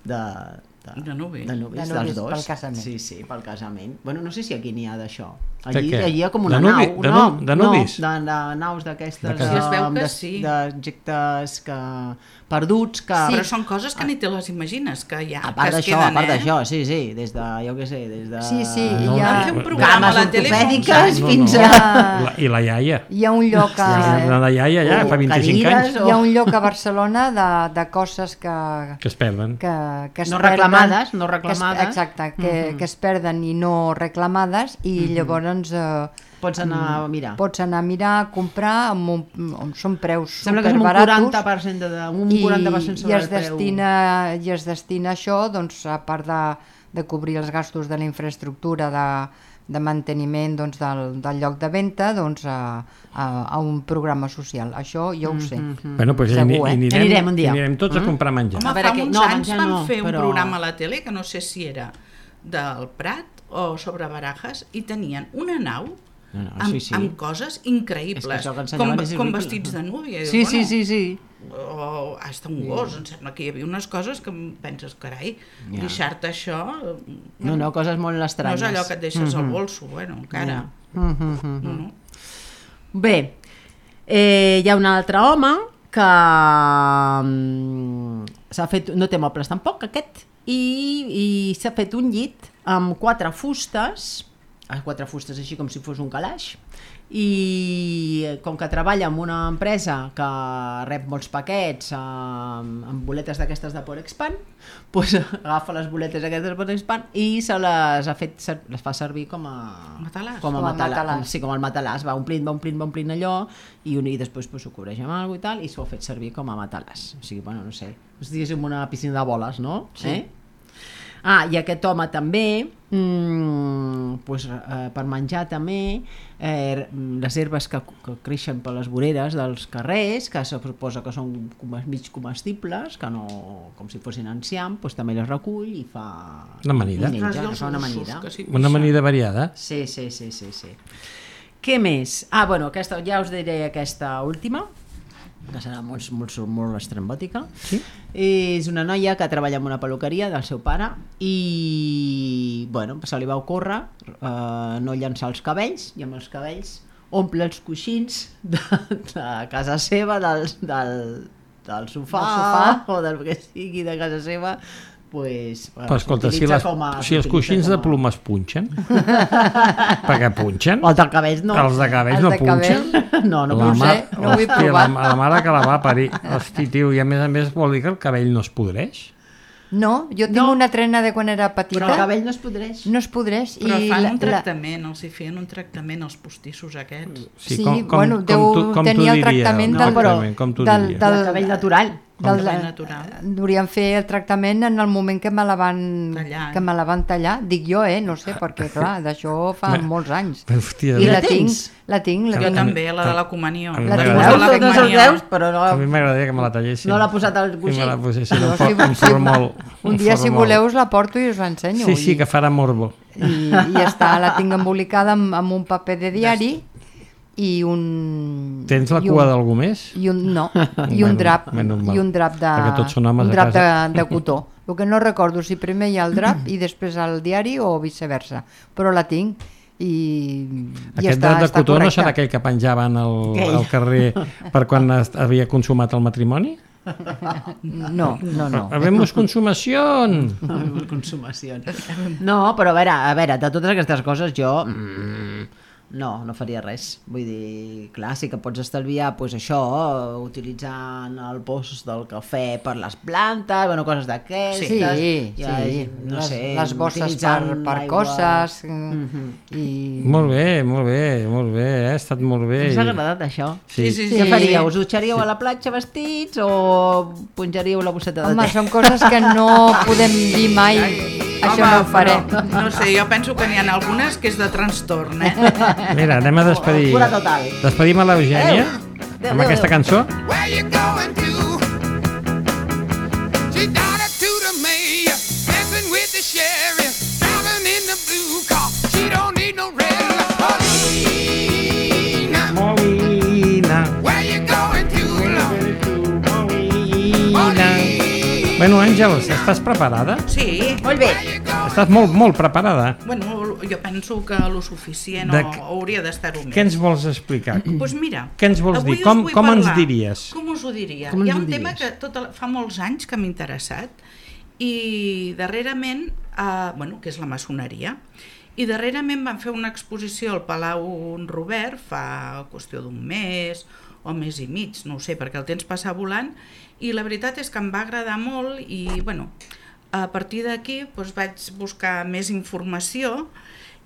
De, de,
De nuvis.
de nuvis,
De
dels
nuvis
dos.
pel casament.
Sí, sí, pel casament. Bueno, no sé si aquí n'hi ha d'això.
De
Allí,
què?
allí hi ha com una
De nuvi-
nau.
de
no,
nu- de nuvis?
No, de, de naus d'aquestes...
De
Sí, es veu que
de-
sí.
d'objectes que perduts que...
Sí. Però són coses que ni te les imagines, que hi ha,
A part
que es
d'això, a
queden,
part
eh?
d'això, sí, sí, des de, jo què sé, des de...
Sí, sí,
No,
hi ha,
Van fer un programa a
cames
la tele fa uns
ortopèdiques
anys.
No,
fins
no.
a...
La, I la iaia.
hi ha un lloc a,
La, la iaia ja,
o
fa vint-i-cinc
cadires,
anys,
hi ha un lloc a Barcelona de, de coses que,
que es perden.
que, que es
No
perden,
reclamades, no
que es-
reclamades.
exacte, que, que es perden i no reclamades i llavors eh,
Pots anar a mirar.
pots anar a mirar, a comprar, amb un, amb, són preus
Sembla que és un
superbaratos
quaranta per cent de, un
i,
quaranta per cent
i
sobre
es
el preu.
destina i es destina a això, doncs, a part de, de cobrir els gastos de la infraestructura de, de manteniment doncs, del, del lloc de venda doncs, a, a, a un programa social. Això jo ho sé.
Mm-hmm.
Bueno, doncs
Segur,
hi,
eh?
anirem,
Anirem un dia.
anirem tots a comprar menjar.
Home,
A veure,
fa
que-
uns
no,
anys
menjar
van
no,
fer un
però-
programa a la tele, que no sé si era del Prat o sobre Barajas, i tenien una nau
No, no,
amb,
sí, sí.
amb coses increïbles,
És que això que
com,
ensenyaven és
com
horrible.
vestits de núvia. I
Sí,
dius,
sí,
bueno,
sí, sí.
o hasta un gos, em sembla que hi havia unes coses que em penses, carai,
Ja.
deixar-te això
No, no, coses molt
no
estranyes.
és allò que et deixes
Mhm.
al bolso, bueno, encara.
Mhm.
No, no.
Bé, eh, hi ha un altre home que mm, s'ha fet, no té mobles tampoc, aquest, i, i s'ha fet un llit amb quatre fustes, eh, quatre fustes així com si fos un calaix, i com que treballa en una empresa que rep molts paquets amb, amb boletes d'aquestes de Porexpan, doncs agafa les boletes aquestes de Porexpan i se les ha fet, ser- les fa servir com a
Matalàs.
com a
Com a
matalàs,
matalàs.
sí, com el matalàs, va omplint, va omplint, va omplint allò i, un, i després pues, ho cobreix amb alguna i tal i s'ho ha fet servir com a matalàs, o sigui, bueno, no sé, és diguéssim una piscina de boles, no?
Sí.
Eh? Ah, i aquest home també, mmm, pues, eh, per menjar també, eh, les herbes que, que creixen per les voreres dels carrers, que se suposa que són com- mig comestibles, que no, com si fossin enciam, pues, també les recull i fa...
Una amanida.
i menja,
Res dels
fa una
gossos,
amanida.
que sí,
Una amanida variada.
Sí, sí, sí, sí, sí. Què més? Ah, bueno, aquesta, ja us diré aquesta última, que serà molt, molt, molt estrambòtica.
Sí?
És una noia que treballa en una peluqueria del seu pare i, bueno, se li va ocórrer eh, no llançar els cabells, i amb els cabells omple els coixins de, de casa seva, del, del, del, sofà,
Del sofà.
o del que sigui de casa seva, pues,
Però escolta, si,
s'utilitza
les,
com a-
si els
s'utilitza
coixins de
com a-
plomes punxen, perquè punxen,
Els de cabells no.
els de cabells
Els
no
de
punxen.
cabell.
No, no
la
ho sé,
mare,
no ho he
hòstia,
provat.
La, la mare que la va parir. Hosti, tio, i a més a més vol dir que el cabell no es podreix?
No, jo tinc
No.
una trena de quan era petita.
Però el cabell no es podreix.
No es podreix.
Però
i
fan
la-
un
la-
tractament, els hi feien un tractament als postissos aquests.
Sí, bueno,
com
deu
tu, com
tenir
tu
el
diria,
tractament
del-
exactament, com tu
del-
diries.
del-
El cabell natural.
del,
cabell natural.
Durien fer el tractament en el moment que me la van
Tallar.
que me la van tallar, dic jo, eh, no sé, perquè clar, d'això fa
Bé.
molts anys.
Però, hòstia,
I
la
la tinc,
tens?
la tinc, la
Jo
tinc.
també, la de la comunió.
a mi
La
m'agradaria-
tinc.
la
Veus, no se'ls
comunió.
veus, però no,
a mi m'agradaria que me la tallessin.
no l'ha posat al
I me la
coixí.
posessin
No,
un, for,
si-
un
si-
formol.
Un dia, si
formol.
voleu, us la porto i us l'ensenyo.
Sí, sí,
I-
que farà morbo.
i, i ja està, la tinc embolicada amb, amb un paper de diari i un...
Tens la
i
cua
un-
d'algú més?
I un, no, i un
Bueno,
drap,
menys mal.
i un drap de,
Perquè tots són homes
un
a
drap de,
casa.
de cotó. El que no recordo si primer hi ha el drap i després el diari o viceversa, però la tinc i, i
Aquest
està,
drap de
està
cotó no
correcta.
serà aquell que penjaven al,
Aquell.
al carrer per quan es- havia consumat el matrimoni?
No, no, no.
Habemos consumación!
Consumació. No, però a veure, a veure, de totes aquestes coses jo mm, no, no faria res. Vull dir, clar, sí que pots estalviar pues, això, utilitzant el post del cafè per les plantes, bueno, coses d'aquestes.
Sí, sí,
ja, no
les,
sé,
les bosses per,
utilitzant
per
aigua.
coses
Mhm.
i...
Molt bé, molt bé, molt bé, eh? ha estat molt bé.
Us ha agradat això?
Sí,
Sí,
Què faríeu? Us dutxaríeu a la platja vestits o punjaríeu la bosseta de
Home,
te?
són coses que no podem dir mai. Això
Home,
no ho faré.
però, no sé, jo penso que n'hi ha algunes que és de trastorn, eh?
Mira, anem a despedir.
Cura total.
Despedim a l'Eugènia
Adéu,
amb
adéu,
aquesta
adéu.
cançó.
Where you going to? She daughter to the mayor, dancing with the sheriff, driving in the blue car. She don't need no red light.
Molina,
Where you going to?
Molina. Bueno, Àngels, estàs preparada?
Sí,
Molt bé.
Estàs molt, molt preparada.
bueno, jo penso que lo suficient
De
o,
què-
o hauria d'estar-ho més.
Què ens vols explicar?
Doncs pues mira,
Què ens vols
avui
dir?
us
Com-
vull
com ens
parlar.
diries?
Com us ho diria?
Com
Hi ha
ens
un
ho
tema
diries?
que tot el, fa molts anys que m'ha interessat i darrerament, eh, bueno, que és la maçoneria, i darrerament van fer una exposició al Palau Robert fa qüestió d'un mes o mes i mig, no ho sé, perquè el temps passa volant, i la veritat és que em va agradar molt i, bueno, a partir d'aquí doncs, vaig buscar més informació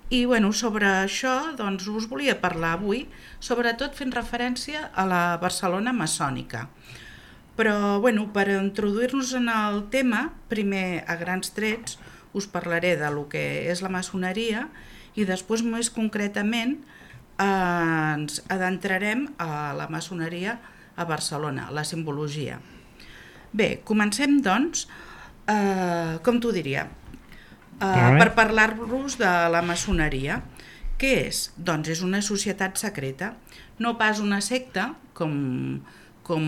i bueno, sobre això doncs, us volia parlar avui, sobretot fent referència a la Barcelona maçònica. Però bueno, per introduir-nos en el tema, primer a grans trets us parlaré de lo que és la maçoneria i després més concretament eh, ens adentrarem a la maçoneria a Barcelona, la simbologia. Bé, comencem doncs, eh, com t'ho diria, eh, per parlar-vos de la maçoneria. Què és? Doncs és una societat secreta, no pas una secta, com, com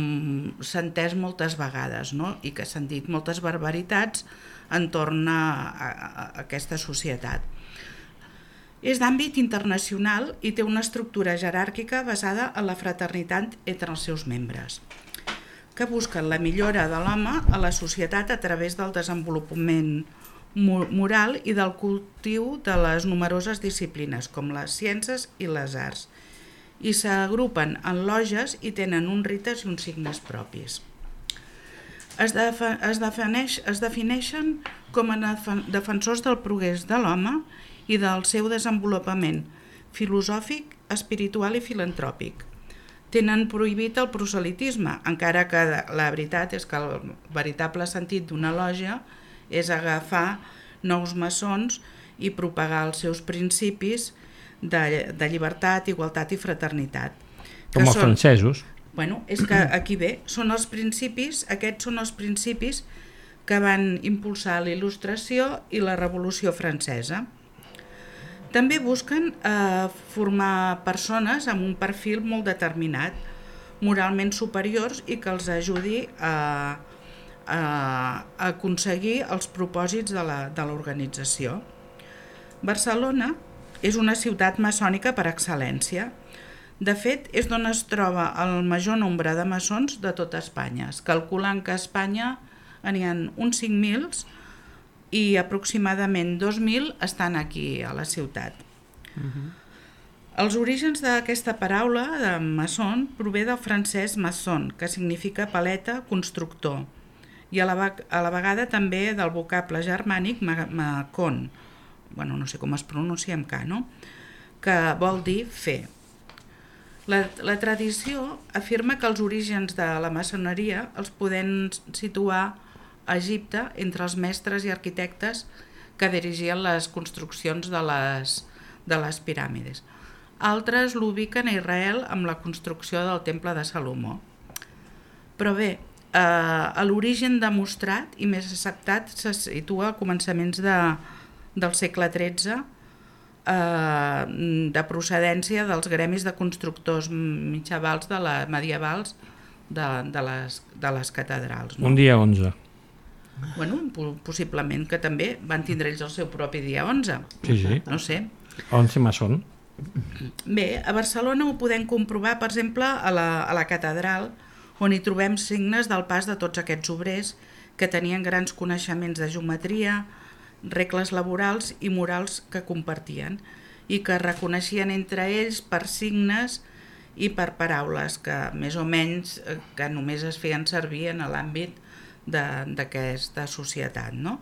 s'ha entès moltes vegades, no? I que s'han dit moltes barbaritats entorn a, a, a aquesta societat. És d'àmbit internacional i té una estructura jeràrquica basada en la fraternitat entre els seus membres, que busquen la millora de l'home a la societat a través del desenvolupament moral i del cultiu de les numeroses disciplines, com les ciències i les arts, i s'agrupen en loges i tenen uns rites i uns signes propis. Es, defa, es, defineix, es defineixen com a defensors del progrés de l'home i del seu desenvolupament filosòfic, espiritual i filantròpic. Tenen prohibit el proselitisme, encara que la veritat és que el veritable sentit d'una loja és agafar nous maçons i propagar els seus principis de, de llibertat, igualtat i fraternitat.
Com els són, francesos.
Bueno, és que aquí ve, són els principis, aquests són els principis que van impulsar la Il·lustració i la Revolució Francesa. També busquen eh, formar persones amb un perfil molt determinat, moralment superiors i que els ajudi a a aconseguir els propòsits de l'organització. Barcelona és una ciutat maçònica per excel·lència. De fet, és d'on es troba el major nombre de maçons de tota Espanya. Es calculen que a Espanya n'hi ha uns cinc mil i aproximadament dos mil estan aquí a la ciutat. Uh-huh. Els orígens d'aquesta paraula de maçon prové del francès maçon, que significa paleta, constructor, i a la, a la vegada també del vocable germànic macon, bueno, no sé com es pronuncia amb K, no? Que vol dir fer. La, la tradició afirma que els orígens de la maçoneria els podem situar a Egipte entre els mestres i arquitectes que dirigien les construccions de les, de les piràmides. Altres l'ubiquen a Israel amb la construcció del temple de Salomó. Però bé, Uh, l'origen demostrat i més acceptat se situa a començaments de, del segle tretze, uh, de procedència dels gremis de constructors mitjavals de la, medievals de, de, les, de les catedrals. No?
Un dia onze.
Bueno, possiblement que també van tindre ells el seu propi dia onze.
Sí, sí.
No sé.
onze maçon.
Bé, a Barcelona ho podem comprovar, per exemple, a la, a la catedral, on hi trobem signes del pas de tots aquests obrers que tenien grans coneixements de geometria, regles laborals i morals que compartien i que reconeixien entre ells per signes i per paraules que més o menys que només es feien servir en l'àmbit d'aquesta societat, no?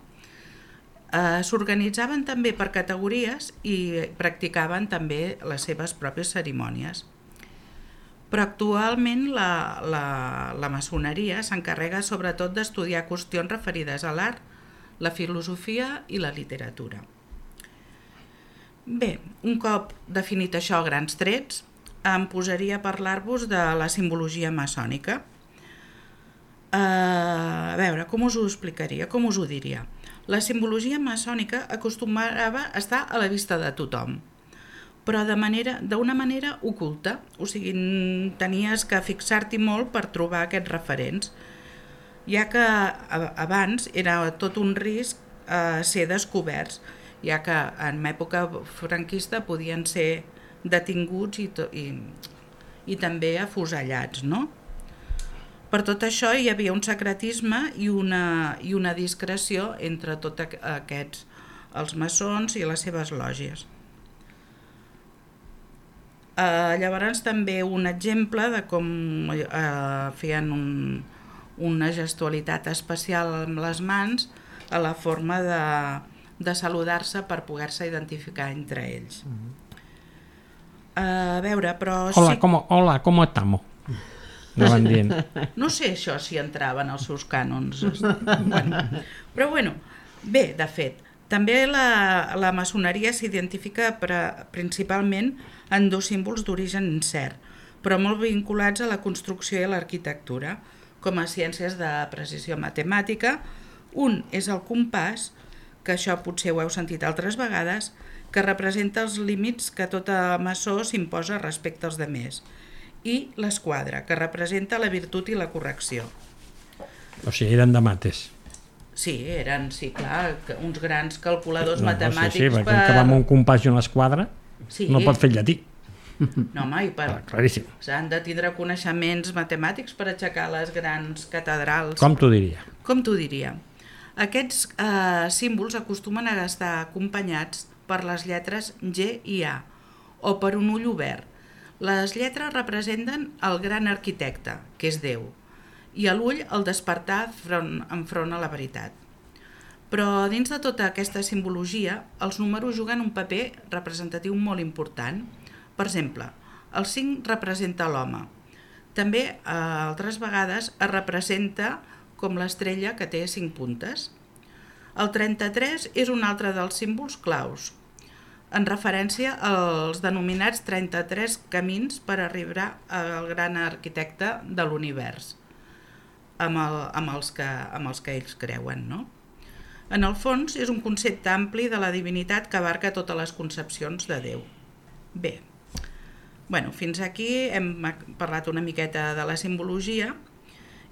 Eh, s'organitzaven també per categories i practicaven també les seves pròpies cerimònies. Però actualment la, la, la maçoneria s'encarrega sobretot d'estudiar qüestions referides a l'art, la filosofia i la literatura. Bé, un cop definit això a grans trets, em posaria a parlar-vos de la simbologia maçònica. Uh, a veure, com us ho explicaria, com us ho diria? La simbologia maçònica acostumava a estar a la vista de tothom, però de manera, d'una manera oculta, o sigui, tenies que fixar-t'hi molt per trobar aquests referents, ja que abans era tot un risc eh, ser descoberts, ja que en època franquista podien ser detinguts i, to, i, i també afusellats, no? Per tot això hi havia un secretisme i una, i una discreció entre tots aquests, els maçons i les seves lògies. Uh, llavors també un exemple de com uh, feien un, una gestualitat especial amb les mans a la forma de, de saludar-se per poder-se identificar entre ells. Uh, a veure, però...
Hola,
sí...
com, hola, com estamos? No van dient.
No sé això si entraven als seus cànons. Bueno, però bueno, bé, de fet, També la, la maçoneria s'identifica principalment en dos símbols d'origen incert, però molt vinculats a la construcció i a l'arquitectura, com a ciències de precisió matemàtica. Un és el compàs, que això potser ho heu sentit altres vegades, que representa els límits que tot maçó s'imposa respecte als demés, i l'esquadra, que representa la virtut i la correcció.
O sigui, eren de mates.
Sí, eren, sí, clar, uns grans calculadors
No,
matemàtics.
sí, sí, perquè
per...
que va amb un compàs i una esquadra
Sí.
no pot fer llatí.
No, home, i per...
Clar, claríssim.
S'han de tindre coneixements matemàtics per aixecar les grans catedrals.
Com t'ho diria?
Com t'ho diria? Aquests eh, símbols acostumen a estar acompanyats per les lletres G i A, o per un ull obert. Les lletres representen el gran arquitecte, que és Déu, i a l'ull el despertar front, enfront a la veritat. Però dins de tota aquesta simbologia, els números juguen un paper representatiu molt important. Per exemple, el cinc representa l'home. També, eh, altres vegades, es representa com l'estrella que té cinc puntes. El trenta-tres és un altre dels símbols claus, en referència als denominats trenta-tres camins per arribar al gran arquitecte de l'univers, amb, el, amb, els que, amb els que ells creuen, no? En el fons, és un concepte ampli de la divinitat que abarca totes les concepcions de Déu. Bé, bueno, fins aquí hem parlat una miqueta de la simbologia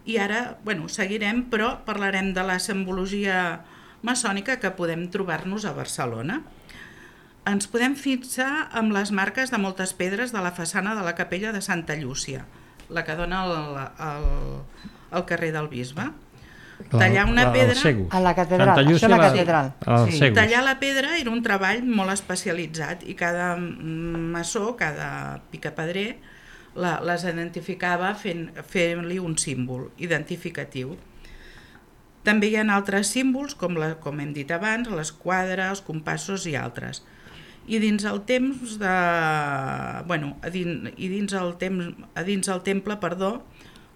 i ara, bueno, seguirem, però parlarem de la simbologia maçònica que podem trobar-nos a Barcelona. Ens podem fixar amb les marques de moltes pedres de la façana de la capella de Santa Llúcia, la que dona al, al, al carrer del Bisbe. Tallar una pedra...
A la catedral, això és la catedral.
Sí. Tallar la pedra era un treball molt especialitzat i cada maçó, cada picapedrer, la, les identificava fent, fent-li un símbol identificatiu. També hi ha altres símbols, com, la, com hem dit abans, l'esquadra, els compassos i altres. I dins el temps de... Bueno, a dins, i dins el temps, a dins el temple, perdó,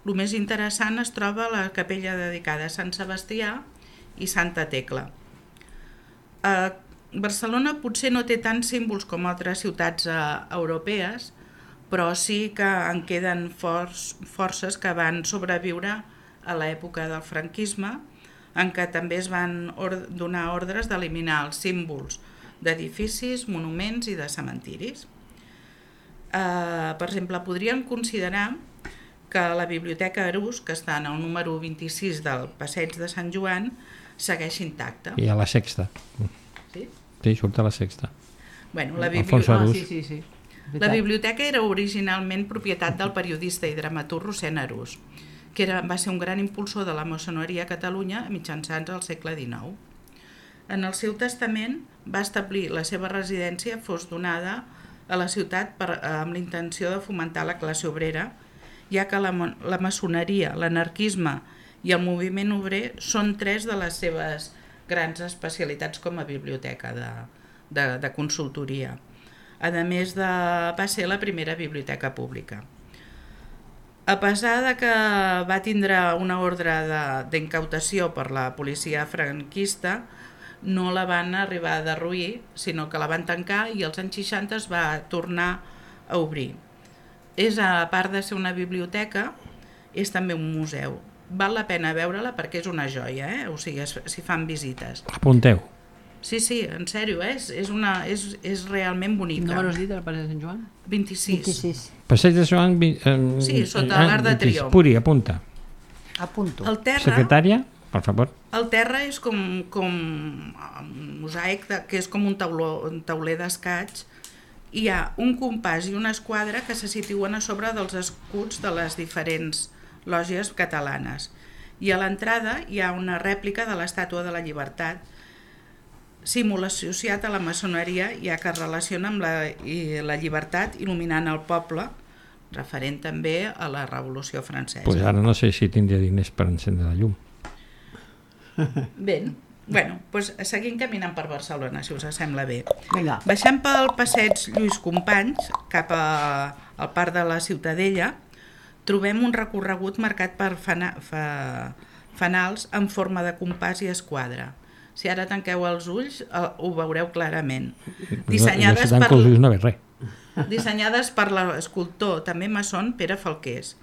el més interessant es troba la capella dedicada a Sant Sebastià i Santa Tecla. A Barcelona potser no té tants símbols com altres ciutats europees, però sí que en queden forts, forces que van sobreviure a l'època del franquisme, en què també es van or donar ordres d'eliminar els símbols d'edificis, monuments i de cementiris. Eh, per exemple, podríem considerar que la Biblioteca Arús, que està en el número vint-i-sis del Passeig de Sant Joan, segueix intacta.
I a la Sexta.
Sí?
Sí, surt a la Sexta.
Bueno, la,
bibli... ah,
sí, sí, sí.
la biblioteca era originalment propietat del periodista i dramaturg Rossend Arús, que era, va ser un gran impulsor de la maçoneria a Catalunya mitjançant el segle dinou. En el seu testament va establir la seva residència fos donada a la ciutat per, amb la intenció de fomentar la classe obrera, ja que la, la maçoneria, l'anarquisme i el moviment obrer són tres de les seves grans especialitats com a biblioteca de, de, de consultoria. A més, de, va ser la primera biblioteca pública. A pesar de que va tindre una ordre d'incautació per la policia franquista, no la van arribar a derruir, sinó que la van tancar i als anys seixanta es va tornar a obrir. És, a part de ser una biblioteca, és també un museu. Val la pena veure-la perquè és una joia, eh? O sigui, si fan visites.
Apunteu.
Sí, sí, en sèrio, eh? és, una, és, és realment bonica.
Quin número has dit, el Passeig de Sant Joan?
vint-i-sis.
vint-i-sis.
Passeig de Sant Joan... Eh,
sí, sota l'Arc de Triomf.
Puri, apunta.
Apunto.
El terra,
Secretària, per favor.
El terra és com, com un mosaic, de, que és com un, tauló, un tauler d'escaig. Hi ha un compàs i una esquadra que se situen a sobre dels escuts de les diferents lògies catalanes. I a l'entrada hi ha una rèplica de l'Estàtua de la Llibertat, símbol associat a la maçoneria, ja que es relaciona amb la, i la llibertat il·luminant el poble, referent també a la Revolució Francesa.
Pues ara no sé si tindria diners per encendre la llum.
Bé, bueno, doncs seguim caminant per Barcelona, si us sembla bé.
Vinga.
Baixant pel passeig Lluís Companys, cap a, al parc de la Ciutadella, trobem un recorregut marcat per fana, fa, fanals en forma de compàs i esquadra. Si ara tanqueu els ulls, eh, ho veureu clarament.
Dissenyades
Dissenyades
per,
per,
els ulls no ve res.
dissenyades per l'escultor, també maçon, Pere Falqués.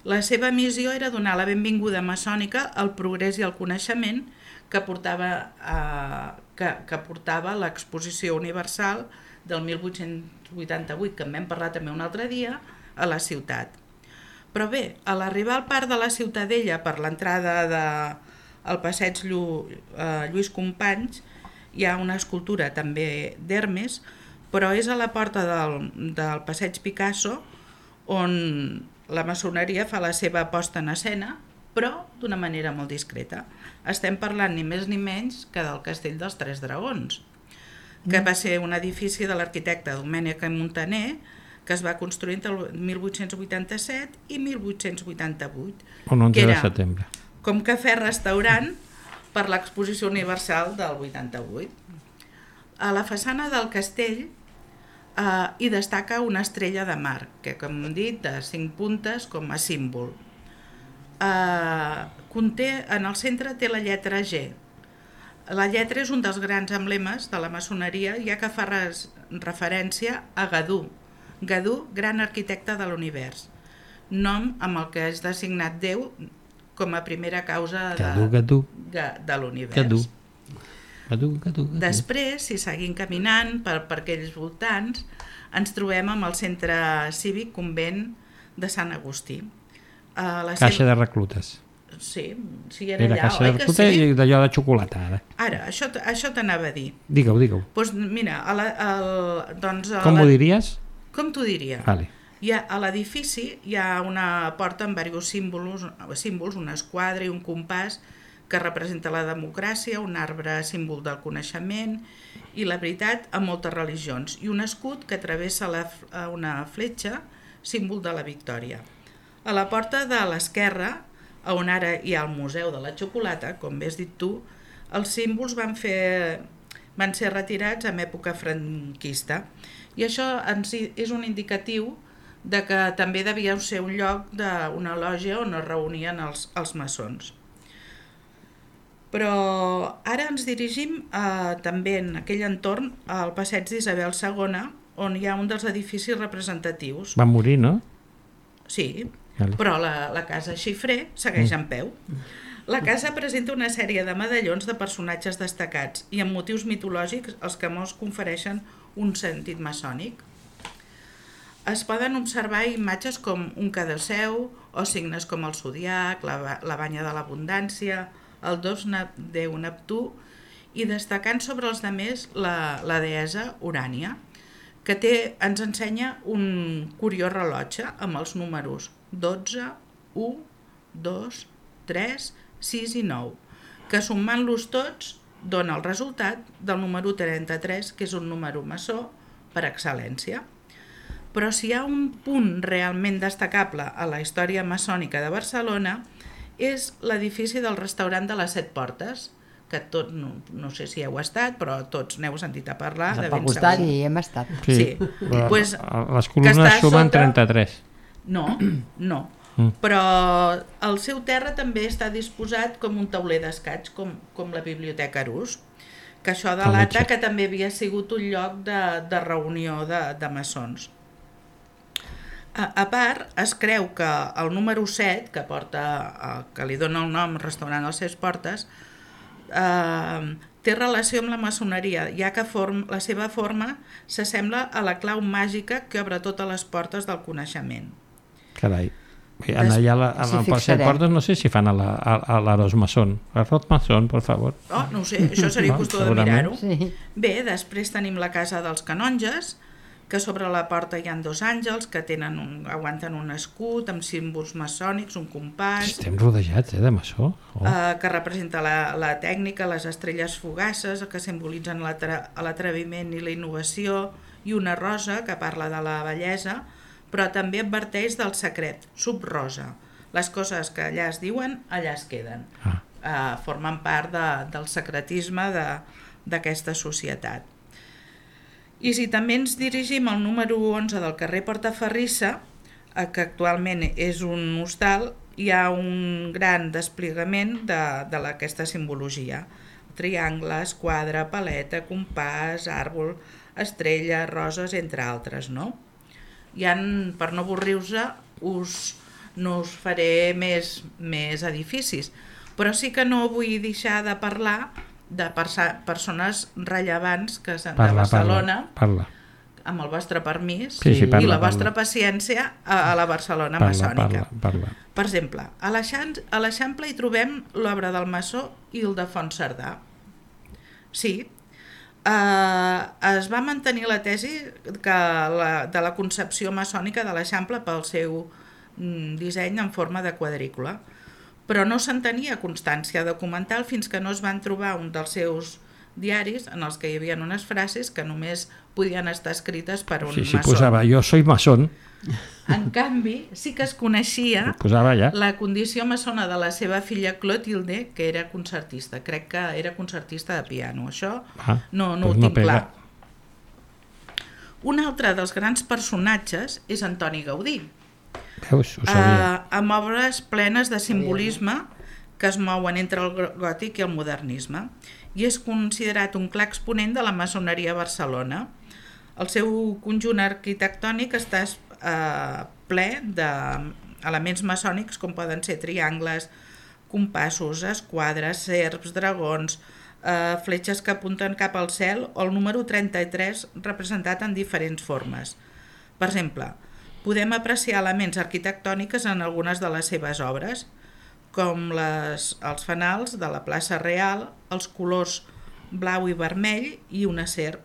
La seva missió era donar la benvinguda maçònica al progrés i al coneixement que portava, eh, que, que portava l'Exposició Universal del mil vuit-cents vuitanta-vuit, que en vam parlar també un altre dia, a la ciutat. Però bé, a l'arribar al parc de la Ciutadella per l'entrada de, al passeig Llu, eh, Lluís Companys, hi ha una escultura també d'Hermes, però és a la porta del, del passeig Picasso on la maçoneria fa la seva posta en escena, però d'una manera molt discreta. Estem parlant ni més ni menys que del Castell dels Tres Dragons, que va ser un edifici de l'arquitecte Domènec i Montaner, que es va construir entre el mil vuit-cents vuitanta-set i mil vuit-cents vuitanta-vuit.
Un onze de setembre.
Com cafè-restaurant per l'Exposició Universal del vuitanta-vuit. A la façana del castell eh, hi destaca una estrella de mar, que com hem dit, de cinc puntes com a símbol. Eh, conté, en el centre té la lletra G. La lletra és un dels grans emblemes de la maçoneria, ja que fa res, referència a Gadú, Gadú, gran arquitecte de l'univers, nom amb el que és designat Déu com a primera causa de,
Gadú, Gadú.
de l'univers.
Gadú. Gadú, Gadú, Gadú.
Després, si seguim caminant per, per aquells voltants, ens trobem amb el centre cívic convent de Sant Agustí. Uh, la
Caixa
seva...
de reclutes.
Sí, sí, era,
Era
allà,
caixa
oi
de
que
reclutes
sí?
i d'allò de xocolata, ara.
Ara, això, això t'anava a dir.
Digue-ho, digue-ho.
Pues mira, a la, a, doncs a
Com
la...
ho diries?
Com t'ho diria?
Vale.
Hi ha, a l'edifici hi ha una porta amb diversos símbols, símbols, una esquadra i un compàs que representa la democràcia, un arbre símbol del coneixement i la veritat a moltes religions, i un escut que travessa la, una fletxa, símbol de la victòria. A la porta de l'esquerra, on ara hi ha el Museu de la Xocolata, com bé has dit tu, els símbols van, fer, van ser retirats en època franquista, i això ens és un indicatiu de que també devia ser un lloc d'una lògia on es reunien els, els maçons. Però ara ens dirigim a, també en aquell entorn al passeig d'Isabel segona, on hi ha un dels edificis representatius.
Va morir, no?
Sí,
vale.
Però la, la casa Xifré segueix en peu. La casa presenta una sèrie de medallons de personatges destacats i amb motius mitològics els que molts confereixen un sentit maçònic. Es poden observar imatges com un cadaseu o signes com el zodiac, la, la banya de l'abundància, el dos déu Neptú, i destacant sobre els demés la, la deessa Urània, que té, ens ensenya un curiós rellotge amb els números dotze, u, dos, tres, sis i nou, que sumant-los tots dona el resultat del número trenta-tres, que és un número maçó per excel·lència. Però si hi ha un punt realment destacable a la història maçònica de Barcelona és l'edifici del restaurant de les Set Portes, que tot, no, no sé si heu estat, però tots n'heu sentit a parlar. De ben
costat,
segur.
sí, hem estat.
Sí,
Sí.
però
Pues,
les columnes sumen
sota...
trenta-tres.
No, no.
Mm.
Però el seu terra també està disposat com un tauler d'escaig, com, com la Biblioteca Arús, que això delata que també havia sigut un lloc de, de reunió de, de maçons. A, a part, es creu que el número set, que, porta, que li dona el nom Restaurant a les Set Portes, eh, té relació amb la maçoneria, ja que form, la seva forma s'assembla a la clau màgica que obre totes les portes del coneixement.
Carai. En allà a la, a
Sí,
la Set
fixarem.
Portes no sé si fan a la- a- a l'Arós Maçón. Arroz Maçón, per favor.
Oh, no ho sé, això seria
No,
qüestió de
segurament.
mirar-ho.
Sí.
Bé, després tenim la Casa dels Canonges, que sobre la porta hi ha dos àngels que tenen un, aguanten un escut amb símbols maçònics, un compàs,
Estem rodejats, eh, de maçó. Oh.
eh, que representa la, la tècnica, les estrelles fugaces, que simbolitzen l'atra- l'atreviment i la innovació, i una rosa que parla de la bellesa, però també adverteix del secret, subrosa. Les coses que allà es diuen, allà es queden.
Ah.
Eh, formen part de, del secretisme de- d'aquesta societat. I si també ens dirigim al número onze del carrer Portaferrissa, eh, que actualment és un hostal, hi ha un gran desplegament de, de la, aquesta simbologia. triangles, quadre, paleta, compàs, àrbol, estrella, roses, entre altres, no? I per no avorrir-vos, us, no us faré més, més edificis, però sí que no vull deixar de parlar de persa- persones rellevants que de
Parla,
Barcelona,
parla, parla.
amb el vostre permís
Sí, sí, parla,
i la
parla.
vostra paciència a, a la Barcelona
Parla,
maçònica.
parla, parla.
Per exemple, a l'Eixam- a l'Eixample hi trobem l'obra del maçó Ildefons Cerdà. Sí, eh, es va mantenir la tesi que la, de la concepció maçònica de l'Eixample pel seu mm, disseny en forma de quadrícula, però no se'n tenia constància documental fins que no es van trobar un dels seus diaris en els que hi havia unes frases que només podien estar escrites per un
Sí, sí,
maçó.
posava, jo soy maçón,
En canvi, sí que es coneixia
posava allà.
la condició maçona de la seva filla Clotilde, que era concertista. Crec que era concertista de piano. Això
Ah,
no, no
doncs
ho
no
tinc
pega.
clar. Un altre dels grans personatges és Antoni Gaudí,
Veus, ho sabia.
eh, amb obres plenes de simbolisme que es mouen entre el gòtic i el modernisme, i és considerat un clar exponent de la maçoneria a Barcelona. El seu conjunt arquitectònic està eh, ple d'elements maçònics com poden ser triangles, compassos, esquadres, serps, dragons, eh, fletxes que apunten cap al cel o el número trenta-tres representat en diferents formes. Per exemple, podem apreciar elements arquitectònics en algunes de les seves obres, com les, els fanals de la plaça Real, els colors blau i vermell i una serp,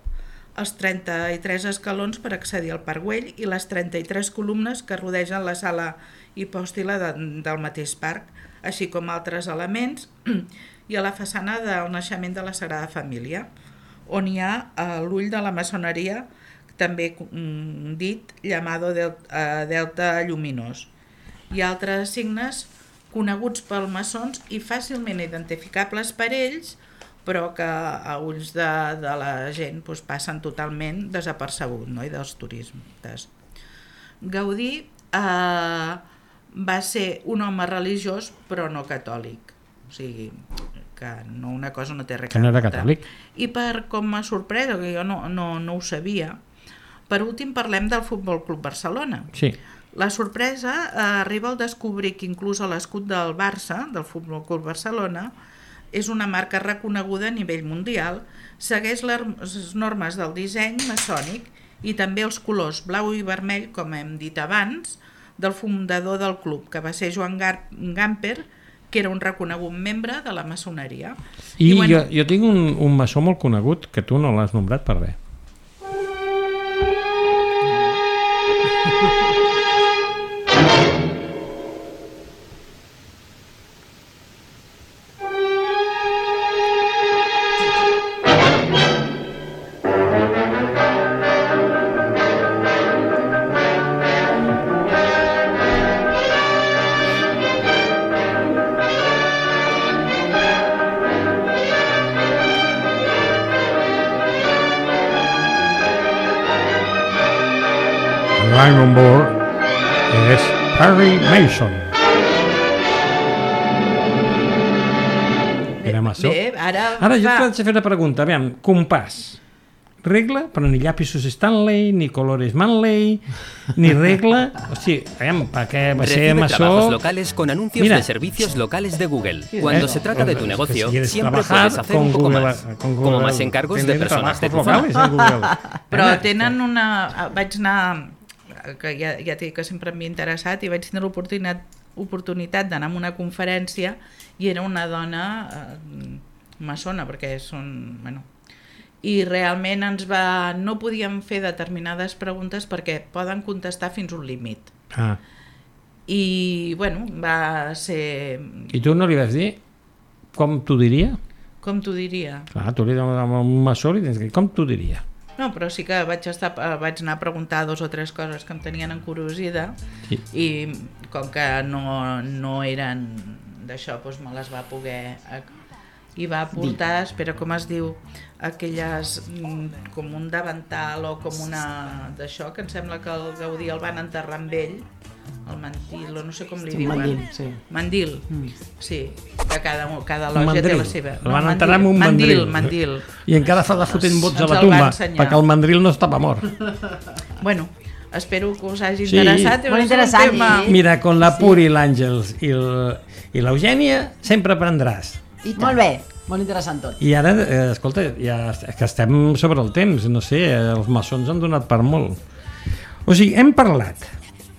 els trenta-tres escalons per accedir al Parc Güell i les trenta-tres columnes que rodegen la sala hipòstila de, del mateix parc, així com altres elements, i a la façana del naixement de la Sagrada Família, on hi ha eh, l'ull de la maçoneria, també mm, dit llamado del, eh, delta lluminós, i altres signes coneguts pels maçons i fàcilment identificables per ells, però que a ulls de, de la gent doncs, passen totalment desapercebut, no? I dels turistes. Gaudí eh, va ser un home religiós però no catòlic, o sigui que no, una cosa no té res
Que no era
veure.
catòlic.
I per com m'ha sorprès, que jo no, no, no ho sabia, per últim parlem del Futbol Club Barcelona.
Sí.
La sorpresa eh, arriba al descobrir que inclús a l'escut del Barça, del Futbol Club Barcelona, és una marca reconeguda a nivell mundial, segueix les normes del disseny maçònic i també els colors blau i vermell, com hem dit abans, del fundador del club, que va ser Joan Gar Gamper, que era un reconegut membre de la maçoneria.
I,
I bueno,
jo, jo tinc un, un maçó molt conegut que tu no l'has nombrat per res. Line on board és Perry Mason. Era maçó.
bé, ara,
Ara jo
va,
t'haig de fer una pregunta. Aviam, compàs. Regla, però ni llapisos Stanley, ni colores Manley, ni regla... O sigui, aviam, per què va ser
Recibe
maçó...
trabajos locales con anuncios
Mira.
de servicios locales de Google. Cuando
Eh,
se trata de tu
pues,
negocio,
si quieres
siempre
trabajar
puedes hacer
con
un poco
Google,
más.
con Google,
Como más encargos de
teniendo
personas de tu
trabajos
zona.
locales en Google.
però
Ana,
tenen una... Vaig anar, que ja, ja t'he dit que sempre m'he interessat, i vaig tenir l'oportunitat oportunitat d'anar a una conferència i era una dona eh, maçona, perquè són... Bueno, i realment ens va... no podíem fer determinades preguntes perquè poden contestar fins un límit.
Ah,
I, bueno, va ser...
i tu no li vas dir com t'ho diria?
Com t'ho diria?
Clar, tu li dones amb un maçó i tens que dir com t'ho diria?
No, però sí que vaig, estar, eh, vaig anar a preguntar dos o tres coses que em tenien encuriosida
Sí.
i com que no, no eren d'això, doncs me les va poder... I va portar, espera, com es diu, aquelles, mm, com un davantal o com una d'això, que em sembla que el Gaudí el van enterrar amb ell, el mandil, o no sé com li
Sí,
diuen.
mandil, sí.
Mandil,
Mm.
sí, que cada, cada
Un
lògia té
mandril.
la seva.
El van enterrar amb un mandril.
Mandil, mandil.
I encara fa de fotent bots a
Ens
la
el va
tumba,
ensenyar.
perquè el mandril no estava mort.
Bueno, espero que us hagi
Sí.
interessat.
Molt
és un
interessant,
tema-
sí.
Mira, con la Puri, l'Àngels i el- i l'Eugènia sempre aprendràs.
I tant.
Molt bé, molt interessant tot.
I ara, eh, escolta, ja est- que estem sobre el temps, no sé, eh, els maçons han donat per molt. O sigui, hem parlat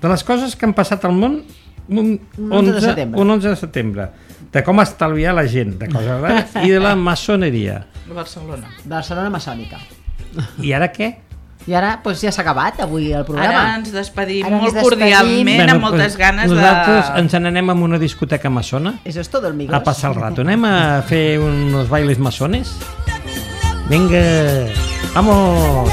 de les coses que han passat al món un,
Un onze de setembre.
un onze de setembre, de com estalviar la gent, de coses rares, i de la maçoneria.
De Barcelona.
Barcelona maçònica.
I ara què?
I ara doncs, ja s'ha acabat avui el programa.
Ara ens despedim
Ara ens
molt
despedim.
cordialment,
Bueno,
amb moltes
pues,
ganes
nosaltres
de...
ens n'anem a una discoteca maçona
Eso es todo, amigos.
a passar el rato. Anem a fer uns bailes maçones? Vinga, vamos!